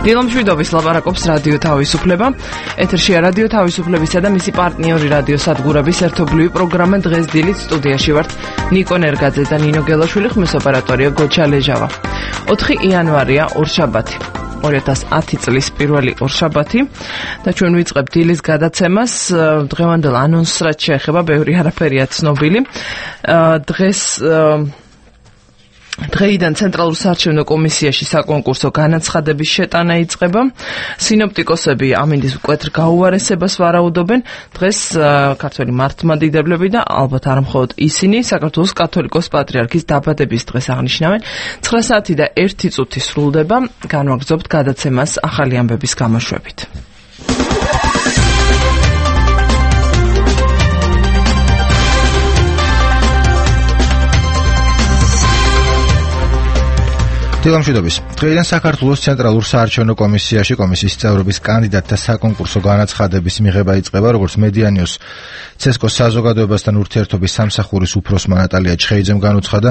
დილო მშვიდობის ლაპარაკობს რადიო თავისუფლება. ეთერშია რადიო თავისუფლებისა და მისი პარტნიორი რადიო სადგურების ერთობლივი პროგრამა. დღეს დილით სტუდიაში ვართ ნიკო ნერგაძე და ნინო გელაშვილი, ხმის ოპერატორია გოჩა ლეჟავა. 4 იანვარია ორშაბათი. 2010 წლის პირველი ორშაბათი და ჩვენ ვიწყებთ დილის გადაცემას. დღევანდელ ანონსს რაც შეეხება, ბევრი არაფერია ცნობილი. დღეიდან ცენტრალურ საარჩევნო კომისიაში საკონკურსო განაცხადების შეტანა იწყება. სინოპტიკოსები ამინდის მკვეთრ გაუარესებას ვარაუდობენ. დღეს ქართველი მართლმადიდებლები და ალბათ არ მხოლოდ ისინი საქართველოს კათოლიკოს პატრიარქის დაბადების დღეს აღნიშნავენ. 9 საათი და 1 წუთი სრულდება. განვაგრძობთ გადაცემას ახალი ამბების გამოშვებით. დილამშვიდობის. დღეიდან საქართველოს ცენტრალურ საარჩევნო კომისიაში კომისიის წევრობის კანდიდატთა საკონკურსო განაცხადების მიღება იწყება, როგორც მედიანიოს ცესკოს საზოგადოებასთან ურთიერთობის სამსახურის უფროსმა ნატალია ჩხეიძემ განუცხადა,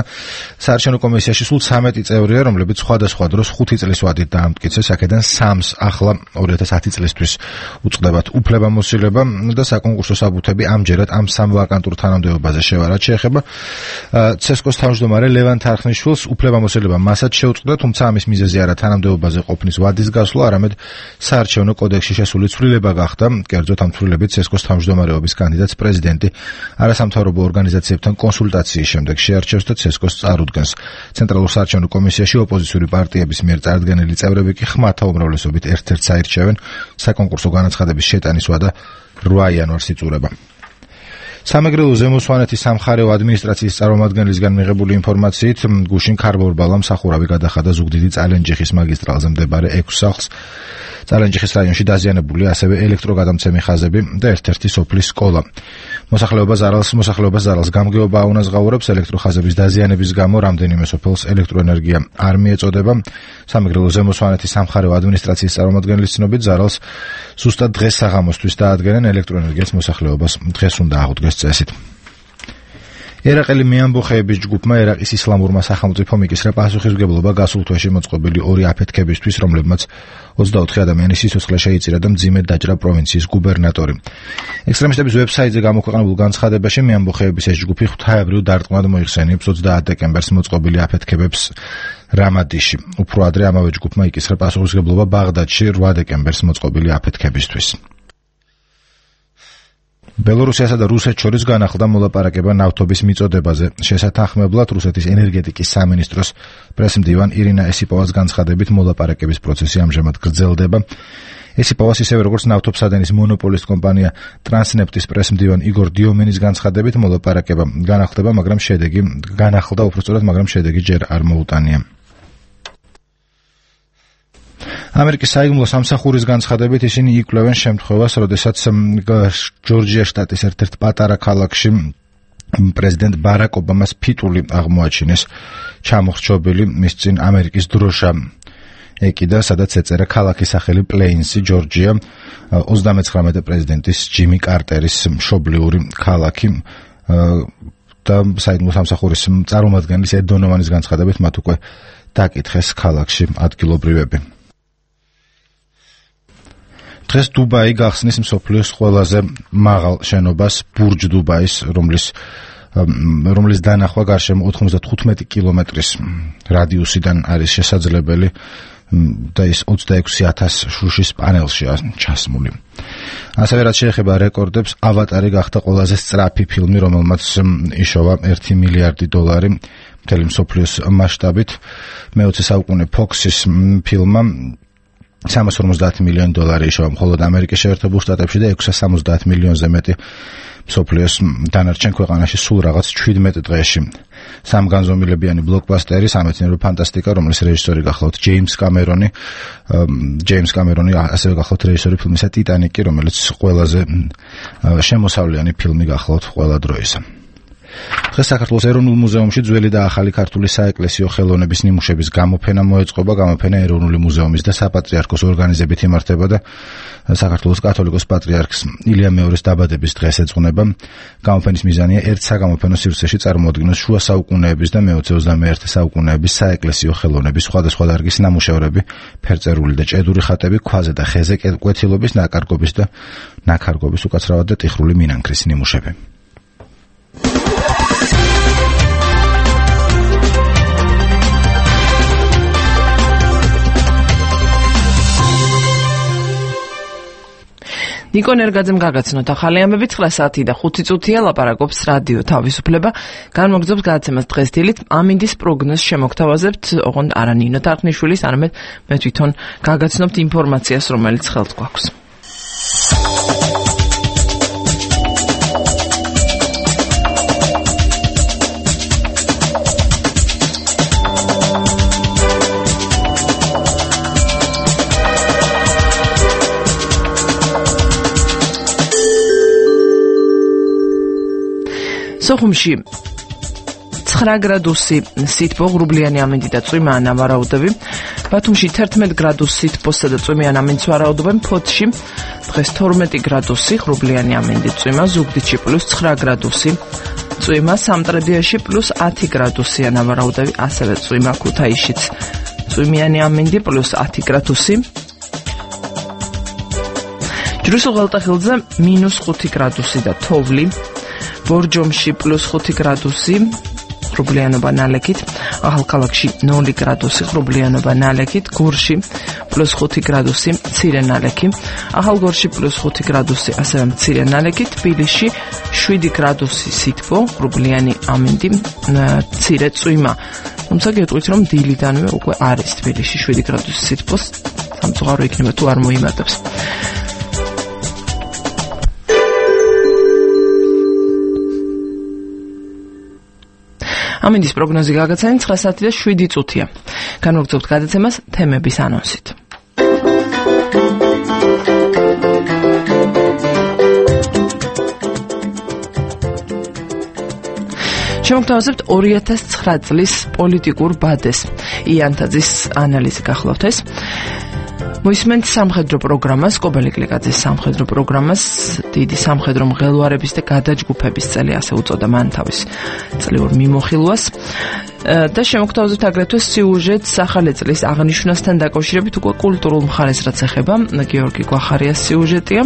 საარჩევნო კომისიაში სულ 13 წევრია, რომლებიც სხვადასხვა დროს 5 წლის ვადით დაამტკიცეს, აქედან 3-ს ახლა 2010 წლისთვის უწყდებათ უფლებამოსილება და საკონკურსო საბუთები ამჯერად ამ სამ ვაკანტურ თანამდებობაზე შევარად შეეხება. ცესკოს თავმჯდომარე ლევან თარხნიშვილს უფლებამოსილება მასაც შეუწყდა, თუმცა ამის მიზეზი არა თანამდებობაზე ყოფნის ვადის გასვლა, არამედ საარჩევნო კოდექსში შესული ცვლილება გახდა. კერძოდ ამ ცვლილებით ცესკოს თავმჯდომარეობის კანდიდატს პრეზიდენტი არასამთავრობო ორგანიზაციებთან კონსულტაციის შემდეგ შეარჩევს და ცესკოს წარუდგენს. ცენტრალურ საარჩევნო კომისიაში ოპოზიციური პარტიების მიერ წარდგენილი წევრები კი ხმათა უმრავლესობით ერთ-ერთს აირჩევენ. საკონკურსო განაცხადების შეტანის ვადა 8 იანვარს იწურება. სამეგრელო ზემოსვანეთის სამხარეო ადმინისტრაციის წარმომადგენლისგან მიღებული ინფორმაციით, გუშინ ქარბორბალა მსახურავი გადახადა ზუგდიდი წალენჯიხის მაგისტრალზე მდებარე 6 სახლს. წალენჯიხის რაიონში დაზიანებულია ასევე ელექტროგადამცემი ხაზები და ერთ-ერთი სოფლის სკოლა. მოსახლეობას ზარალს გამგეობა აუნაზღაურებს. ელექტროხაზების დაზიანების გამო რამდენიმე სოფელს ელექტროენერგია არ მიეწოდება. სამეგრელო ზემოსვანეთის სამხარეო ადმინისტრაციის წარმომადგენლის ცნობით, ზარალს ზუსტად დღეს საღამოსთვის დაადგენენ. ელექტროენერგიას მოსახლეობას დღეს უნდა აღუდგეს წესით. ერაყელი მეამბოხეების ჯგუფმა ერაყის ისლამურმა სახელმწიფომ იკისრა პასუხისმგებლობა გასულ თვეში მოწყობილი 2 აფეთქებისთვის, რომლებმაც 24 ადამიანის სიცოცხლე შეიწირა და მძიმედ დაჭრა პროვინციის გუბერნატორი. ექსტრემისტების ვებსაიტზე გამოქვეყნებულ განცხადებაში მეამბოხეების ეს ჯგუფი ღვთაებრივ დარტყმად მოიხსენიებს 30 დეკემბერს მოწყობილი აფეთქებებს რამადიში. უფრო ადრე ამავე ჯგუფმა იკისრა პასუხისმგებლობა ბაღდადში 8 დეკემბერს მოწყობილი აფეთქებისთვის. ბელორუსიასა და რუსეთს შორის განახლდა მოლაპარაკება ნავთობის მიწოდებაზე. შესათანხმებლად რუსეთის ენერგეტიკის სამინისტროს პრესმდივან ირინა ესიპოვას განცხადებით, მოლაპარაკების პროცესი ამჟამად გრძელდება. ესიპოვას ისევე როგორც ნავთობსადენის მონოპოლისტ კომპანია ტრანსნეფტის პრესმდივან იგორ დიომენის განცხადებით, მოლაპარაკება განახლდა, მაგრამ შედეგი ჯერ არ მოუტანია. ამერიკის საიდუმლო სამსახურის განცხადებით ისინი იკვლევენ შემთხვევას, როდესაც ჯორჯია შტატის ერთ-ერთ პატარა ქალაქში პრეზიდენტ ბარაკ ობამას ფიტული აღმოაჩინეს ჩამოხრჩობილი, მის წინ ამერიკის დროშა ეკიდა, სადაც ეწერა ქალაქის სახელი პლეინსი, ჯორჯია, 39 პრეზიდენტის ჯიმი კარტერის მშობლიური ქალაქი და საიდუმლო სამსახურის წარმომადგენლის ედ დონოვანის განცხადებით მათ უკვე დაკითხეს ქალაქში ადგილობრივები. დღეს დუბაი გახსნის მსოფლიოს ყველაზე მაღალ შენობას ბურჯ დუბაის, რომლის დანახვა გარშემო 95 კილომეტრის რადიუსიდან არის შესაძლებელი და ის 26,000 შუშის პანელშია ჩასმული. ასევე რაც შეეხება რეკორდებს, ავატარი გახდა ყველაზე სწრაფი ფილმი, რომელმაც იშოვა $1 მილიარდი მთელი მსოფლიოს მასშტაბით. მე-20 საუკუნე Fox-ის ფილმმა $350 მილიონი იშოვა მხოლოდ ამერიკის შეერთებულ შტატებში და 670 მილიონზე მეტი მსოფლიოს დანარჩენ ქვეყანაში სულ რაღაც 17 დღეში. სამგანზომილებიანი ბლოკბასტერი, სამეცნიერო ფანტასტიკა, რომლის რეჟისორი გახლავთ ჯეიმს კამერონი, ასევე გახლავთ რეჟისორი ფილმისა ტიტანიკი, რომელიც ყველაზე შემოსავლიანი ფილმი გახლავთ ყველა დროისა. დღეს საქართველოს ეროვნულ მუზეუმში ძველი და ახალი ქართული საეკლესიო ხელოვნების ნიმუშების გამოფენა მოეწყობა. გამოფენა ეროვნული მუზეუმის და საპატრიარქოს ორგანიზებით იმართება და საქართველოს კათოლიკოს პატრიარქს ილია მეორის დაბადების დღეს ეძღვნება. გამოფენის მიზანია ერთ საგამოფენო სივრცეში წარმოადგინოს შუა საუკუნეების და მე-21 საუკუნეების საეკლესიო ხელოვნების სხვადასხვა დარგის ნამუშევრები, ფერწერული და ჭედური ხატები, ქვაზე და ხეზე კვეთილობის, ნაკარგობის და ნაქარგობის, უკაცრავად და ტიხრული მინანქრის ნიმუშები. ნიკო ნერგაძემ გაგაცნოთ ახალი ამბები 9 საათი და 5 წუთია ლაპარაკობს რადიო თავისუფლება. განმოგრძობს გადაცემას დღეს დილით ამინდის პროგნოზს შემოგთავაზებთ, ოღონდ არა ნინო თარხნიშვილის, არამედ მე თვითონ გაგაცნობთ ინფორმაციას, რომელიც ხელთ გვაქვს. სოხუმში 9 გრადუსი სითბო, ღრუბლიანი ამინდი და წვიმა ან ვარაუდები. ბათუმში 11 გრადუსი სითბოსა და წვიმიან ამინდს ვარაუდობენ. ფოთში დღეს 12 გრადუსი, ღრუბლიანი ამინდი, წვიმა. ზუგდიდში +9 გრადუსი წვიმა. სამტრედიაში +10 გრადუსი ან ვარაუდები, ასევე წვიმა. ქუთაისშიც წვიმიანი ამინდი +10 გრადუსი. ჯვრისულ ღალატახილზე -5 გრადუსი და თოვლი. ბორჯომში +5 გრადუსი, ღრუბლიანობა ნალექით. ახალქალაქში 0 გრადუსი, ღრუბლიანობა ნალექით. გორში +5 გრადუსი, მცირე ნალექი. ახალგორში +5 გრადუსი, ასევე მცირე ნალექი. თბილისში 7 გრადუსი სითბო, ღრუბლიანი ამინდი, მცირე წვიმა. თუმცა გეტყვით, რომ დილიდანვე უკვე არის თბილისში 7 გრადუსი სითბოს, სამწუხარო იქნება თუ არ მოიმატებს. ამინდის პროგნოზი გაგაცანით 9 საათი და 7 წუთია. განმოგრძობთ გადაცემას თემების ანონსით. შემოგთავაზებთ 2009 წლის პოლიტიკურ ბადეს. იანთაძის ანალიზი გახლავთ ეს. მოისმენთ სამხედრო პროგრამას, კობელი კლიკაძის სამხედრო პროგრამას, დიდი სამხედრო მღელვარების და გადაჯგუფების წელი, ასე უწოდა მან თავის წლიურ მიმოხილვას. და შემოგთავაზებთ აგრეთვე სიუჟეტს ახალი წლის აღნიშვნასთან დაკავშირებით, უკვე კულტურულ მხარეს რაც ეხება, გიორგი გვახარიას სიუჟეტია.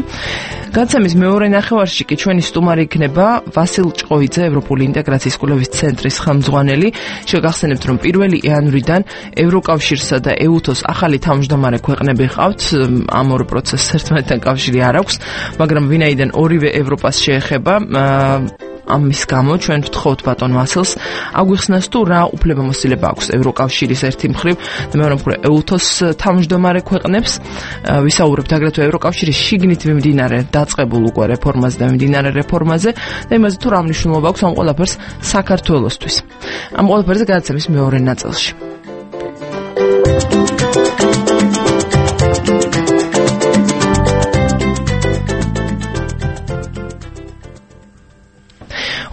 გადაცემის მეორე ნახევარში კი ჩვენი სტუმარი იქნება ვასილ ჭყოიძე, ევროპული ინტეგრაციის კვლევის ცენტრის ხელმძღვანელი. შეგახსენებთ, რომ 1 იანვრიდან ევროკავშირსა და EUTOS ახალი თავმჯდომარე ქვეყნები ყავთ, ამ ორ პროცესს ერთმანეთთან კავშირი არ აქვს, მაგრამ ვინაიდან ორივე ევროპას შეეხება, ამის გამო ჩვენ ვთხოვთ ბატონ ვასილს აგვიხსნას თუ რა უფლებამოსილება აქვს ევროკავშირის ერთი მხრივ და მეორე მხრივ EUTOS თავმჯდომარე ქვეყნებს. ვისაუბრებთ აგრეთვე ევროკავშირის შიგნით მიმდინარე დაწყებულ უკვე რეფორმაზე და მიმდინარე რეფორმაზე და იმაზე თუ რა მნიშვნელობა აქვს ამ ყველაფერს საქართველოსთვის. ამ ყველაფერზე გადაცემის მეორე ნაწილში.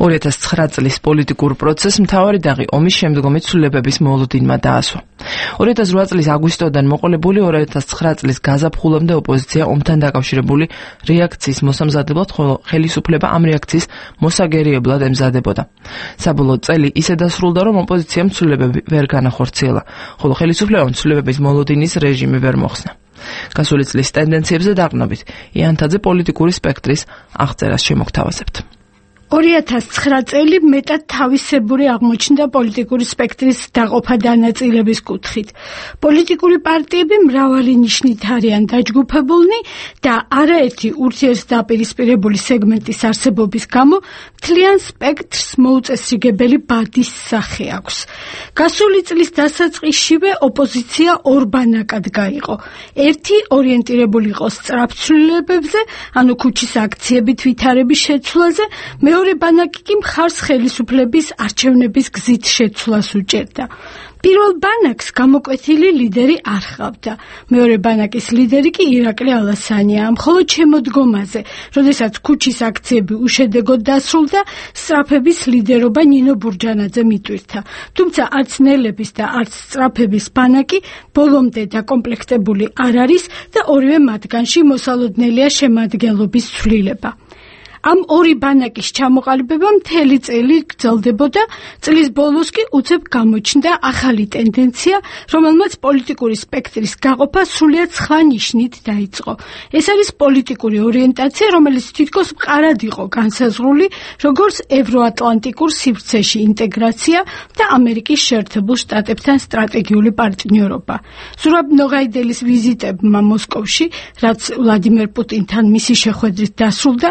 წლის პოლიტიკურ პროცესს მთავარი დაღი ომის შემდგომი ცვლილებების მოლოდინმა დაასვა. 2008 წლის აგვისტოდან მოყოლებული 2009 წლის გაზაფხულამდე ოპოზიცია ომთან დაკავშირებული რეაქციის მოსამზადებლად, ხოლო ხელისუფლება ამ რეაქციის მოსაგერიებლად ემზადებოდა. საბოლოო წელი ისე დასრულდა, რომ ოპოზიციამ ცვლილებები ვერ განახორციელა, ხოლო ხელისუფლებამ ცვლილებების მოლოდინის რეჟიმი ვერ მოხსნა. გასული წლის ტენდენციებზე დაყრდნობით იანთაძე პოლიტიკური სპექტრის აღწერას შემოგთავაზებთ. 2009 წელი მეტად თავისებური აღმოჩნდა პოლიტიკური სპექტრის დაყოფა დანაწილების კუთხით. პოლიტიკური პარტიები მრავალი ნიშნით არიან დაჯგუფებულნი და არაერთი ურთიერთდაპირისპირებული სეგმენტის არსებობის გამო მთლიან სპექტრს მოუწესრიგებელი ბადის სახე აქვს. გასული წლის დასაწყისშივე ოპოზიცია ორ ბანაკად გაიყო. ერთი ორიენტირებული იყო სწრაფ ცვლილებებზე, ანუ ქუჩის აქციებით ვითარების შეცვლაზე, მეორე ბანაკი კი მხარს ხელისუფლების არჩევნების გზით შეცვლას უჭერდა. პირველ ბანაკს გამოკვეთილი ლიდერი არ ჰყავდა. მეორე ბანაკის ლიდერი კი ირაკლი ალასანია. მხოლოდ შემოდგომაზე, როდესაც ქუჩის აქციები უშედეგოდ დასრულდა, სწრაფების ლიდერობა ნინო ბურჯანაძემ იტვირთა. თუმცა არც ნელების და არც სწრაფების ბანაკი ბოლომდე დაკომპლექტებული არ არის და ორივე მათგანში მოსალოდნელია შემადგენლობის ცვლილება. ამ ორი ბანაკის ჩამოყალიბება მთელი წელი გრძელდებოდა, წლის ბოლოს კი უცებ გამოჩნდა ახალი ტენდენცია, რომელმაც პოლიტიკური სპექტრის გაყოფა სრულიად სხვა ნიშნით დაიწყო. ეს არის პოლიტიკური ორიენტაცია, რომელიც თითქოს მყარად იყო განსაზღვრული, როგორც ევროატლანტიკურ სივრცეში ინტეგრაცია და ამერიკის შეერთებულ შტატებთან სტრატეგიული პარტნიორობა. ზურაბ ნოღაიდელის ვიზიტებმა მოსკოვში, რაც ვლადიმერ პუტინთან მისი შეხვედრით დასრულდა,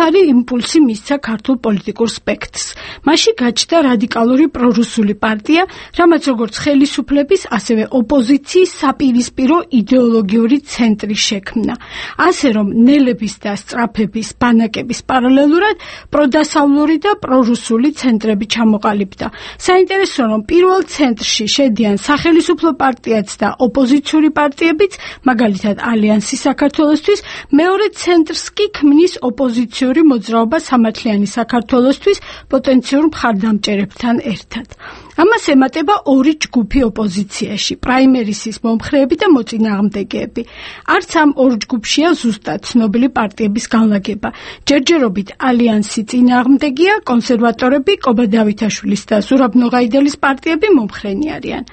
ახალი იმპულსი მისცა ქართულ პოლიტიკურ სპექტრს. მასში გაჩნდა რადიკალური პრორუსული პარტია, რამაც როგორც ხელისუფლების, ასევე ოპოზიციის საპირისპირო იდეოლოგიური ცენტრი შექმნა. ასე რომ ნელების და სწრაფების ბანაკების პარალელურად პროდასავლური და პრორუსული ცენტრები ჩამოყალიბდა. საინტერესოა, რომ პირველ ცენტრში შედიან სახელისუფლო პარტიაც და ოპოზიციური პარტიებიც, მაგალითად ალიანსი საქართველოსთვის, მეორე ცენტრს კი ქმნის ოპოზიციური მოძრაობა სამართლიანი საქართველოსთვის პოტენციურ მხარდამჭერებთან ერთად. ამას ემატება ორი ჯგუფი ოპოზიციაში, პრაიმერისის მომხრეები და მოწინააღმდეგეები. არც ამ ორ ჯგუფშია ზუსტად ცნობილი პარტიების განლაგება. ჯერჯერობით ალიანსი წინააღმდეგია, კონსერვატორები, კობა დავითაშვილის და ზურაბ ნოღაიდელის პარტიები მომხრენი არიან.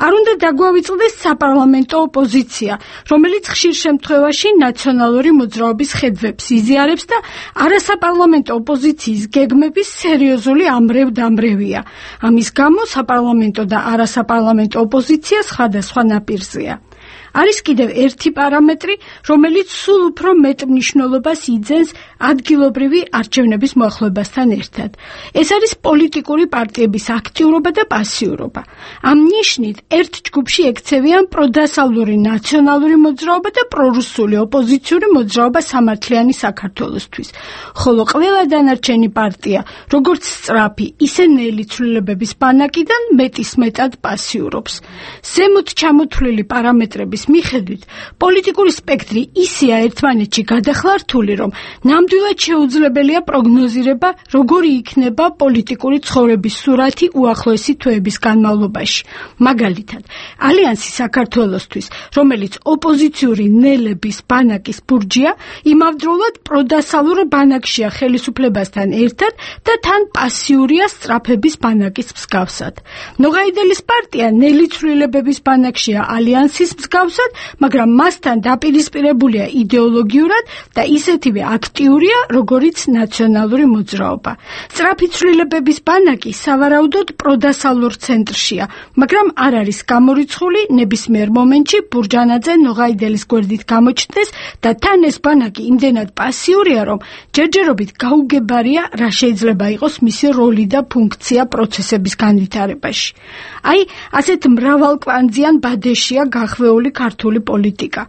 არ უნდა დაგვავიწყდეს საპარლამენტო ოპოზიცია, რომელიც ხშირ შემთხვევაში ნაციონალური მოძრაობის ხედვებს იზიარებს და არასაპარლამენტო ოპოზიციის გეგმების სერიოზული ამრევ-დამრევია. ამის გამო საპარლამენტო და არასაპარლამენტო ოპოზიცია სხვადასხვა ნაპირზეა. არის კიდევ ერთი პარამეტრი, რომელიც სულ უფრო მეტ მნიშვნელობას იძენს ადგილობრივი არჩევნების მოახლოებასთან ერთად. ეს არის პოლიტიკური პარტიების აქტიურობა და პასიურობა. ამ ნიშნით ერთ ჯგუფში ექცევიან პროდასავლური ნაციონალური მოძრაობა და პრორუსული ოპოზიციური მოძრაობა სამართლიანი საქართველოსთვის. ხოლო ყველა დანარჩენი პარტია, როგორც სწრაფი, ისე ნელი ცვლილებების ბანაკიდან მეტისმეტად პასიურობს. ზემოთ ჩამოთვლილი პარამეტრების მიხედვით, პოლიტიკური სპექტრი ისეა ერთმანეთში გადახლართული, რომ ნამდვილად შეუძლებელია პროგნოზირება, როგორი იქნება პოლიტიკური ცხოვრების სურათი უახლოესი თვეების განმავლობაში. მაგალითად, ალიანსი საქართველოსთვის, რომელიც ოპოზიციური ნელების ბანაკის ბურჯია, იმავდროულად პროდასალურ ბანაკშია ხელისუფლებასთან ერთად და თან პასიურია სწრაფების ბანაკის მსგავსად. ნოღაიდელის პარტია ნელი ცვლილებების ბანაკშია ალიანსის მსგავსად, მაგრამ მასთან დაპირისპირებულია იდეოლოგიურად და ისეთივე აქტიურია, როგორიც ნაციონალური მოძრაობა. სწრაფი ცვლილებების ბანაკი სავარაუდოდ პროდასალურ ცენტრშია, მაგრამ არ არის გამორიცხული ნებისმიერ მომენტში ბურჯანაძე ნოღაიდელის გვერდით გამოჩნდეს და თან ეს ბანაკი იმდენად პასიურია, რომ ჯერჯერობით გაუგებარია, რა შეიძლება იყოს მისი როლი და ფუნქცია პროცესების განვითარებაში. აი, ასეთ მრავალკვანძიან ბადეშია გახვეული ქართული პოლიტიკა.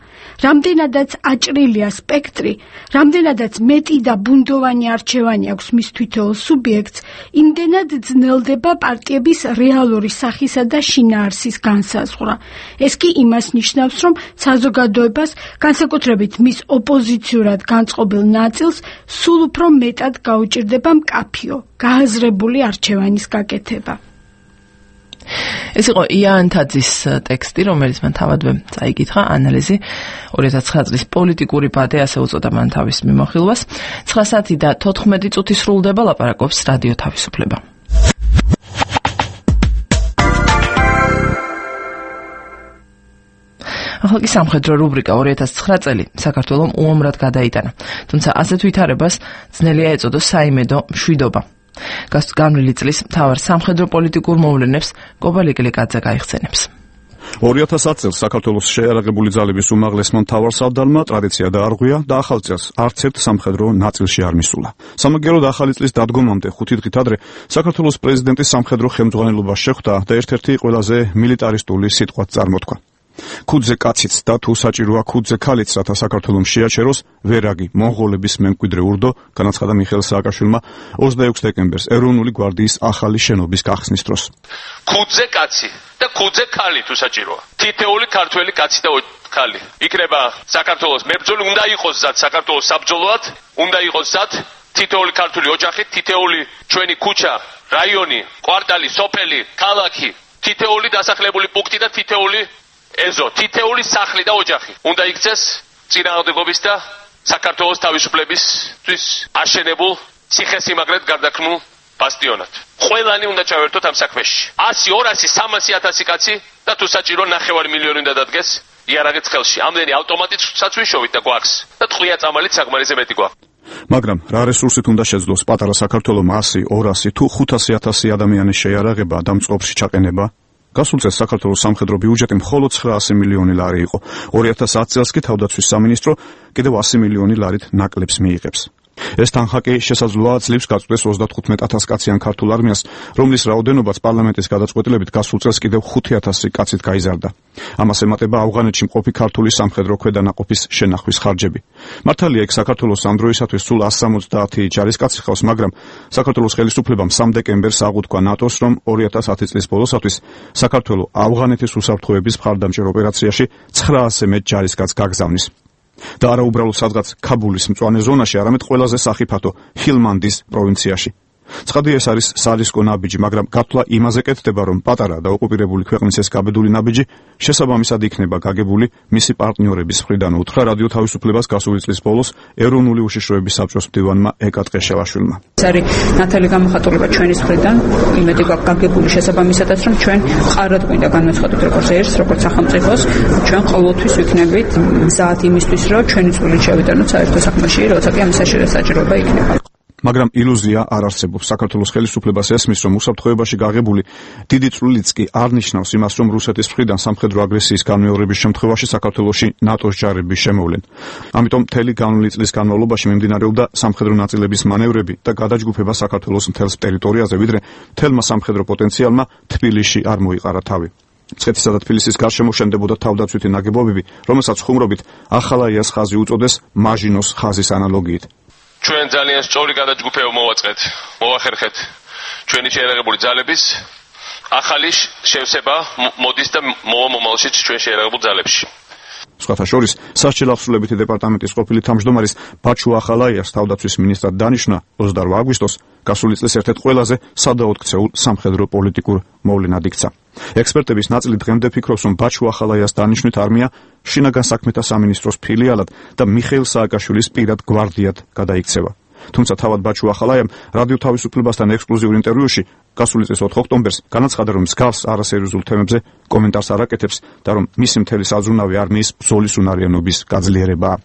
რამდენადაც აჭრილია სპექტრი, რამდენადაც მეტი და ბუნდოვანი არჩევანი აქვს მის თითოეულ სუბიექტს, იმდენად ძნელდება პარტიების რეალური სახისა და შინაარსის განსაზღვრა. ეს კი იმას ნიშნავს, რომ საზოგადოებას, განსაკუთრებით მის ოპოზიციურად განწყობილ ნაწილს, სულ უფრო მეტად გაუჭირდება მკაფიო, გააზრებული არჩევანის გაკეთება. ეს იყო იან თაძის ტექსტი, რომელიც მან თავადვე წაიკითხა, ანალიზი 2009 წლის პოლიტიკური ბადე, ასე უწოდა მან თავის მიმოხილვას. 9 საათი და 14 წუთი სრულდება, ლაპარაკობს რადიო თავისუფლება. ახალგაზრდა სამხედრო რუბრიკა 2009 წელი საქართველომ უამრად გადაიტანა, თუმცა ასეთ ვითარებას ძნელია ეწოდოს საიმედო მშვიდობა. განვლილი წლის მთავარ სამხედრო პოლიტიკურ მოვლენებს კობა ლიკლიკაძე გაიხსენებს. 2010 წელს საქართველოს შეიარაღებული ძალების უმაღლესმა მთავარსარდალმა ტრადიცია დაარღვია და ახალ წელს არც ერთ სამხედრო ნაწილში არ მისულა. სამაგიეროდ ახალი წლის დადგომამდე 5 დღით ადრე საქართველოს პრეზიდენტის სამხედრო ხელმძღვანელობა შეხვდა და ერთ-ერთი ყველაზე მილიტარისტული სიტყვაც წარმოთქვა. ქუდზე კაციც და თუ საჭიროა ქუდზე ქალიც, რათა საქართველოს შეაჩეროს ვერაგი მონღოლების მემკვიდრე ურდო, განაცხადა მიხეილ სააკაშვილმა 26 დეკემბერს ეროვნული გვარდიის ახალი შენობის გახსნის დროს. ქუდზე კაცი და ქუდზე ქალი თუ საჭიროა. თითეული ქართველი კაცი და ქალი იქნება საქართველოს მებრძოლი, უნდა იყოს ზად საქართველოს საბრძოლოად, უნდა იყოს ზად თითეული ქართული ოჯახი, თითეული ჩვენი ქუჩა, რაიონი, კვარტალი, სოფელი, ქალაქი, თითეული დასახლებული პუნქტი და თითეული ეზო, თითეული სახლი და ოჯახი უნდა იქცეს წინააღმდეგობის და საქართველოს თავისუფლებისთვის აშენებულ ციხესიმაგრედ გარდაქმნულ ბასტიონად. ყველანი უნდა ჩავერთოთ ამ საქმეში. 100, 200, 300,000 კაცი და თუ საჭირო 9 მილიონი უნდა დადგეს იარაღით ხელში. ამდენი ავტომატიცაც ვიშოვით და გვაქვს და ტყვია წამალით საკმარისზე მეტი გვაქვს. მაგრამ რა რესურსით უნდა შეძლოს პატარა საქართველოს 100, 200 თუ 500,000 ადამიანის შეიარაღება და მწყობრში ჩაყენება? გასულ წელს საქართველოს სამხედრო ბიუჯეტი მხოლოდ 900 მილიონი ლარი იყო. 2010 წელს კი თავდაცვის სამინისტრო კიდევ 100 მილიონი ლარით ნაკლებს მიიღებს. ეს თანხაკი შესაძლოა ძლივს გაწყვეტს 35,000 კაციან ქართულ არმიას, რომლის რაოდენობაც პარლამენტის გადაწყვეტილებით გასულ წელს კიდევ 5,000 კაცით გაიზარდა. ამას ემატება ავღანეთში მყოფი ქართული სამხედრო ქვედანაყოფის შენახვის ხარჯები. მართალია, იქ საქართველოს ამ დროისათვის სულ 170 ჯარისკაცი ხავს, მაგრამ საქართველოს ხელისუფლებამ 3 დეკემბერს აღუთქვა ნატოს, რომ 2010 წლის ბოლოსათვის საქართველოს ავღანეთის უსაფრთხოების მხარდამჭერ ოპერაციაში 900 მეტ ჯარისკაცს გაგზავნის. და არა უბრალოდ სადღაც ქაბულის მწვანე ზონაში, არამედ ყველაზე სახიფათო ჰილმანდის პროვინციაში. ცხადია, ეს არის სარისკო ნაბიჯი, მაგრამ გათვლა იმაზე კეთდება, რომ პატარა და ოკუპირებული ქვეყნის ეს გაბედული ნაბიჯი შესაბამისად იქნება გაგებული მისი პარტნიორების მხრიდან, უთხრა რადიო თავისუფლებას გასული წლის ბოლოს ეროვნული უშიშროების საბჭოს მდივანმა ეკა ტყეშევაშვილმა. ეს არის ნათელი გამოხატულება ჩვენის მხრიდან, იმედი გვაქვს გაგებული შესაბამისადაც, რომ ჩვენ მყარად გვინდა განვეცხადოთ როგორც ერთს, როგორც სახელმწიფოს, ჩვენ ყოველთვის ვიქნებით მზად იმისთვის, რომ ჩვენი წვლილი შევიტანოთ საერთო საქმეში, როცა კი ამის საჭიროება იქნება. მაგრამ ილუზია არ არსებობს. საქართველოს ხელისუფლებას ესმის, რომ უსაფრთხოებაში გაღებული დიდი წვლილიც კი არ ნიშნავს იმას, რომ რუსეთის მხრიდან სამხედრო აგრესიის განმეორების შემთხვევაში საქართველოში ნატოს ჯარები შემოვლენ. ამიტომ მთელი განვლილი წლის განმავლობაში მიმდინარეობდა სამხედრო ნაწილების მანევრები და გადაჯგუფება საქართველოს მთელს ტერიტორიაზე, ვიდრე მთელმა სამხედრო პოტენციალმა თბილისში არ მოიყარა თავი. მცხეთისა და თბილისის გარშემო შენდებოდა თავდაცვითი ნაგებობები, რომელსაც ხუმრობით ახალაიას ხაზი უწოდეს მაჟინოს ხაზის ანალოგიით. ჩვენ ძალიან სწორი გადაჯგუფება მოვაწყეთ, მოვახერხეთ ჩვენი შეიარაღებული ძალების ახალი შევსება მოდის და მოვა მომავალშიც ჩვენ შეიარაღებულ ძალებში. სხვათა შორის, სასჯელ აღსრულებითი დეპარტამენტის ყოფილი თავმჯდომარის ბაჩუ ახალაიას თავდაცვის მინისტრად დანიშნა 28 აგვისტოს გასული წლის ერთ-ერთ ყველაზე სადაოდ ქცეულ სამხედრო პოლიტიკურ მოვლენად იქცა. ექსპერტების ნაწილი დღემდე ფიქრობს, რომ ბაჩუ ახალაიას დანიშვნით არმია შინაგან საქმეთა სამინისტროს ფილიალად და მიხეილ სააკაშვილის პირად გვარდიად გადაიქცევა. თუმცა თავად ბაჩუ ახალაიამ რადიო თავისუფლებასთან ექსკლუზიურ ინტერვიუში გასული წლის 4 ოქტომბერს განაცხადა, რომ მსგავს არასერიოზულ თემებზე კომენტარს არ აკეთებს და რომ მისი მთელი საზრუნავი არმიის ბრძოლის უნარიანობის გაძლიერებაა.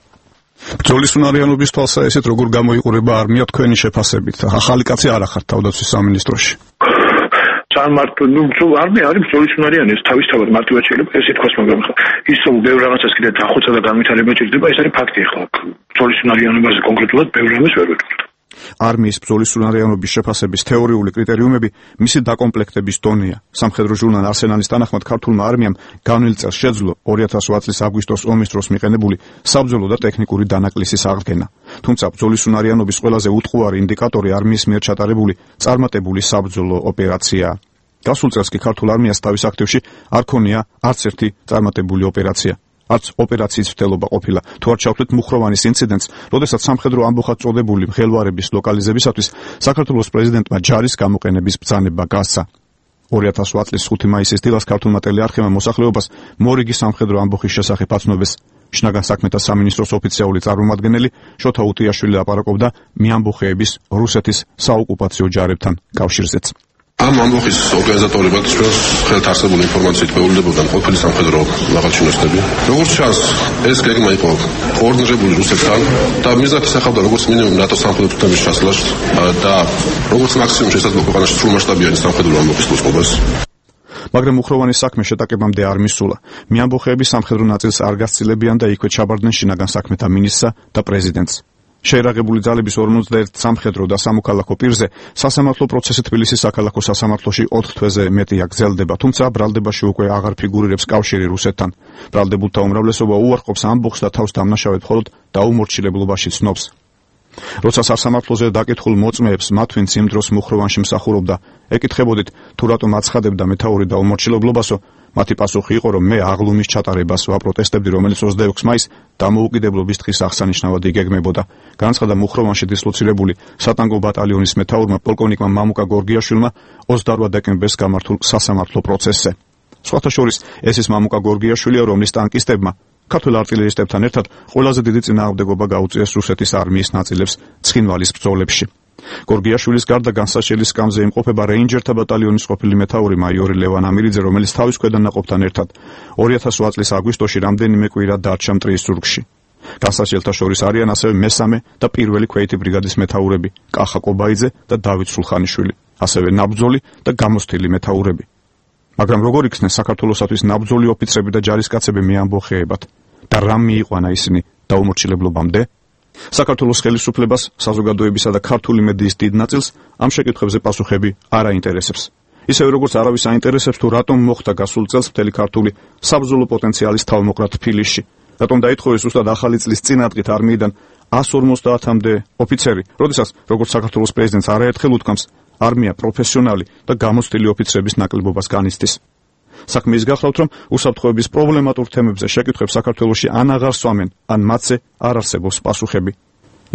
ბრძოლის უნარიანობის თვალსაჩინოდ როგორ გამოიყურება არმია თქვენი შეფასებით? ახალი კაცი არ ახართ თავდაცვის სამინისტროში. არმია არის ბრძოლის უნარიანი, ეს თავისთავად მარტივად შეიძლება ესე თქვას, მაგრამ ის რომ ბევრ რაღაცას კიდე დახოცა და განვითარება ჭირდება, ეს არის ფაქტი. ახლა ბრძოლის უნარიანობაზე კონკრეტულად ბევრ რამეს ვერ ვეტყვით. არმიის ბრძოლის უნარიანობის შეფასების თეორიული კრიტერიუმები მისი დაკომპლექტების დონეა. სამხედრო ჟურნალ არსენალის თანახმად ქართულმა არმიამ განვლილ წელს შეძლო 2008 წლის აგვისტოს ომის დროს მიყენებული საბრძოლო და ტექნიკური დანაკლისის აღდგენა. თუმცა ბრძოლის უნარიანობის ყველაზე უტყუარი ინდიკატორი არმიის მიერ ჩატარებული წარმატებული საბრძოლო ოპერაციაა. გასულ წელს კი ქართულ არმიას თავის აქტივში არ ქონია არც ერთი წარმატებული ოპერაცია. არც ოპერაციის მცდელობა ყოფილა. თუ არ ჩავთვლით მუხროვანის ინციდენტს, როდესაც სამხედრო ამბოხად წოდებული მღელვარების ლოკალიზებისათვის საქართველოს პრეზიდენტმა ჯარის გამოყენების ბრძანება გასცა. 2008 წლის 5 მაისის დილას ქართულმა ტელეარხებმა მოსახლეობას მორიგი სამხედრო ამბოხის შესახებ აცნობეს. შინაგან საქმეთა სამინისტროს ოფიციალური წარმომადგენელი შოთა უტიაშვილი ლაპარაკობდა მიამბოხეების რუსეთის საოკუპაციო ჯარებთან კავშირზეც. ამ ამბოხის ორგანიზატორებად ჩვენს ხელთ არსებული ინფორმაციით მეულებოდნენ ყოფილი სამხედრო მაღალჩინოსნები. როგორც ჩანს, ეს გეგმა იყო კოორდინირებული რუსეთთან და მიზნად ისახავდა როგორც მინიმუმ ნატოს სამხედრო თემის ჩასვლას და როგორც მაქსიმუმ შესაძლო ქვეყანაში სრულმასშტაბიანი სამხედრო ამბოხის მოწყობას. მაგრამ მუხროვანის საქმე შეტაკებამდე არ მისულა. მიამბოხეების სამხედრო ნაწილს არ გასცილებიან და იქვე ჩაბარდნენ შინაგან საქმეთა მინისტრსა და პრეზიდენტს. შეერაღებული ძალების 51 სამხედრო და სამოქალაქო პირზე სასამართლო პროცესი თბილისის საქალაქო სასამართლოში 4 თვეზე მეტია გრძელდება, თუმცა ბრალდებაში უკვე აღარ ფიგურირებს კავშირი რუსეთთან. ბრალდებულთა უმრავლესობა უარყოფს ამბოხს და თავს დამნაშავედ მხოლოდ დაუმორჩილებლობაში ცნობს. როცა სასამართლოზე დაკითხულ მოწმეებს მათ ვინც იმ დროს მუხროვანში მსახურობდა, ეკითხებოდით თუ რატომ აცხადებდა მეთაური დაუმორჩილებლობასო, მათი პასუხი იყო, რომ მე აღლუმის ჩატარებას ვაპროტესტებდი, რომელიც 26 მაისს დამოუკიდებლობის დღის აღსანიშნავად იგეგმებოდა. განაცხადა მუხროვანში დისლოცირებული სატანგო ბატალიონის მეთაურმა პოლკოვნიკმა მამუკა გორგიაშვილმა 28 დეკემბერს გამართულ სასამართლო პროცესზე. სხვათა შორის ეს ის მამუკა გორგიაშვილია, რომლის ტანკისტებმა ქართველ არტილერისტებთან ერთად ყველაზე დიდი წინააღმდეგობა გაუწიეს რუსეთის არმიის ნაწილებს ცხინვალის ბრძოლებში. გორგიაშვილის გარდა განსაშელი სკამზე იმყოფება რეინჯერთა ბატალიონის ყოფილი მეთაური მაიორი ლევან ამირიძე, რომელიც თავის ქვედანაყოფთან ერთად 2008 წლის აგვისტოში რამდენიმე კვირა დარჩა მტრიის ზურგში. განსაშელთა შორის არიან ასევე მესამე და პირველი ქვეითი ბრიგადის მეთაურები კახა კობაიძე და დავით სულხანიშვილი, ასევე ნაბრძოლი და გამოსთილი მეთაურები. მაგრამ როგორ იქნეს საქართველოსათვის ნაბრძოლი ოფიცრები და ჯარისკაცები მეამბოხეებად და რამ მიიყვანა ისინი დაუმორჩილებლობამდე? საქართველოს ხელისუფლებას, საზოგადოებისა და ქართული მედიის დიდ ნაწილს ამ შეკითხვებზე პასუხები არ აინტერესებს. ისევე როგორც არავის აინტერესებს თუ რატომ მოხდა გასულ წელს მთელი ქართული საბრძოლო პოტენციალის თავმოყრა თბილისში, რატომ დაითხოვეს ზუსტად ახალი წლის წინადღით არმიიდან 150-მდე ოფიცერი, როდესაც როგორც საქართველოს პრეზიდენტს არაერთხელ უთქვამს, არმია პროფესიონალი და გამოცდილი ოფიცრების ნაკლებობას განიცდის. საქმე ის გახლავთ, რომ უსაფრთხოების პრობლემატურ თემებზე შეკითხვებს საქართველოში ან აღარ სვამენ, ან მათზე არ არსებობს პასუხები.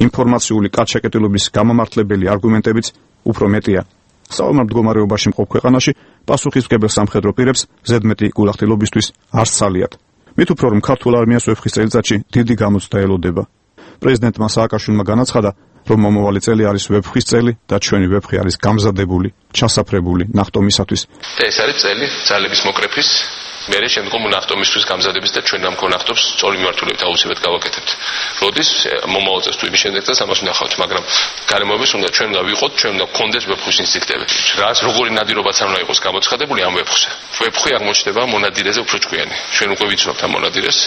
ინფორმაციული კაცშეკეტილობის გამამართლებელი არგუმენტებიც უფრო მეტია. საომარ მდგომარეობაში მყოფ ქვეყანაში პასუხისმგებელ სამხედრო პირებს ზედმეტი გულახდილობისთვის არ სცალიათ. მით უფრო რომ ქართულ არმიას ვეფხის წელიწადში დიდი გამოცდა ელოდება. პრეზიდენტმა სააკაშვილმა განაცხადა, რომ მომავალი წელი არის ვეფხვის წელი და ჩვენი ვეფხი არის გამზადებული, ჩასაფრებული ნახტომისათვის. და ეს არის წელი ძალების მოკრეფის, მერე შემდგომ ნახტომისთვის გამზადების და ჩვენ ამ კონახტობს სწორი მიმართულებით აუცილებლად გავაკეთებთ. როდის მომავალ წელს თუ იმის შემდეგ წელს ამას ვნახავთ, მაგრამ გარემოების უნდა ჩვენ უნდა ვიყოთ, ჩვენ უნდა გქონდეს ვეფხვის ინსტინქტები. რაც როგორი ნადირობაც არ უნდა იყოს გამოცხადებული ამ ვეფხვზე. ვეფხვი აღმოჩნდება მონადირეზე უფრო ჭკვიანი. ჩვენ უკვე ვიცნობთ ამ მონადირეს.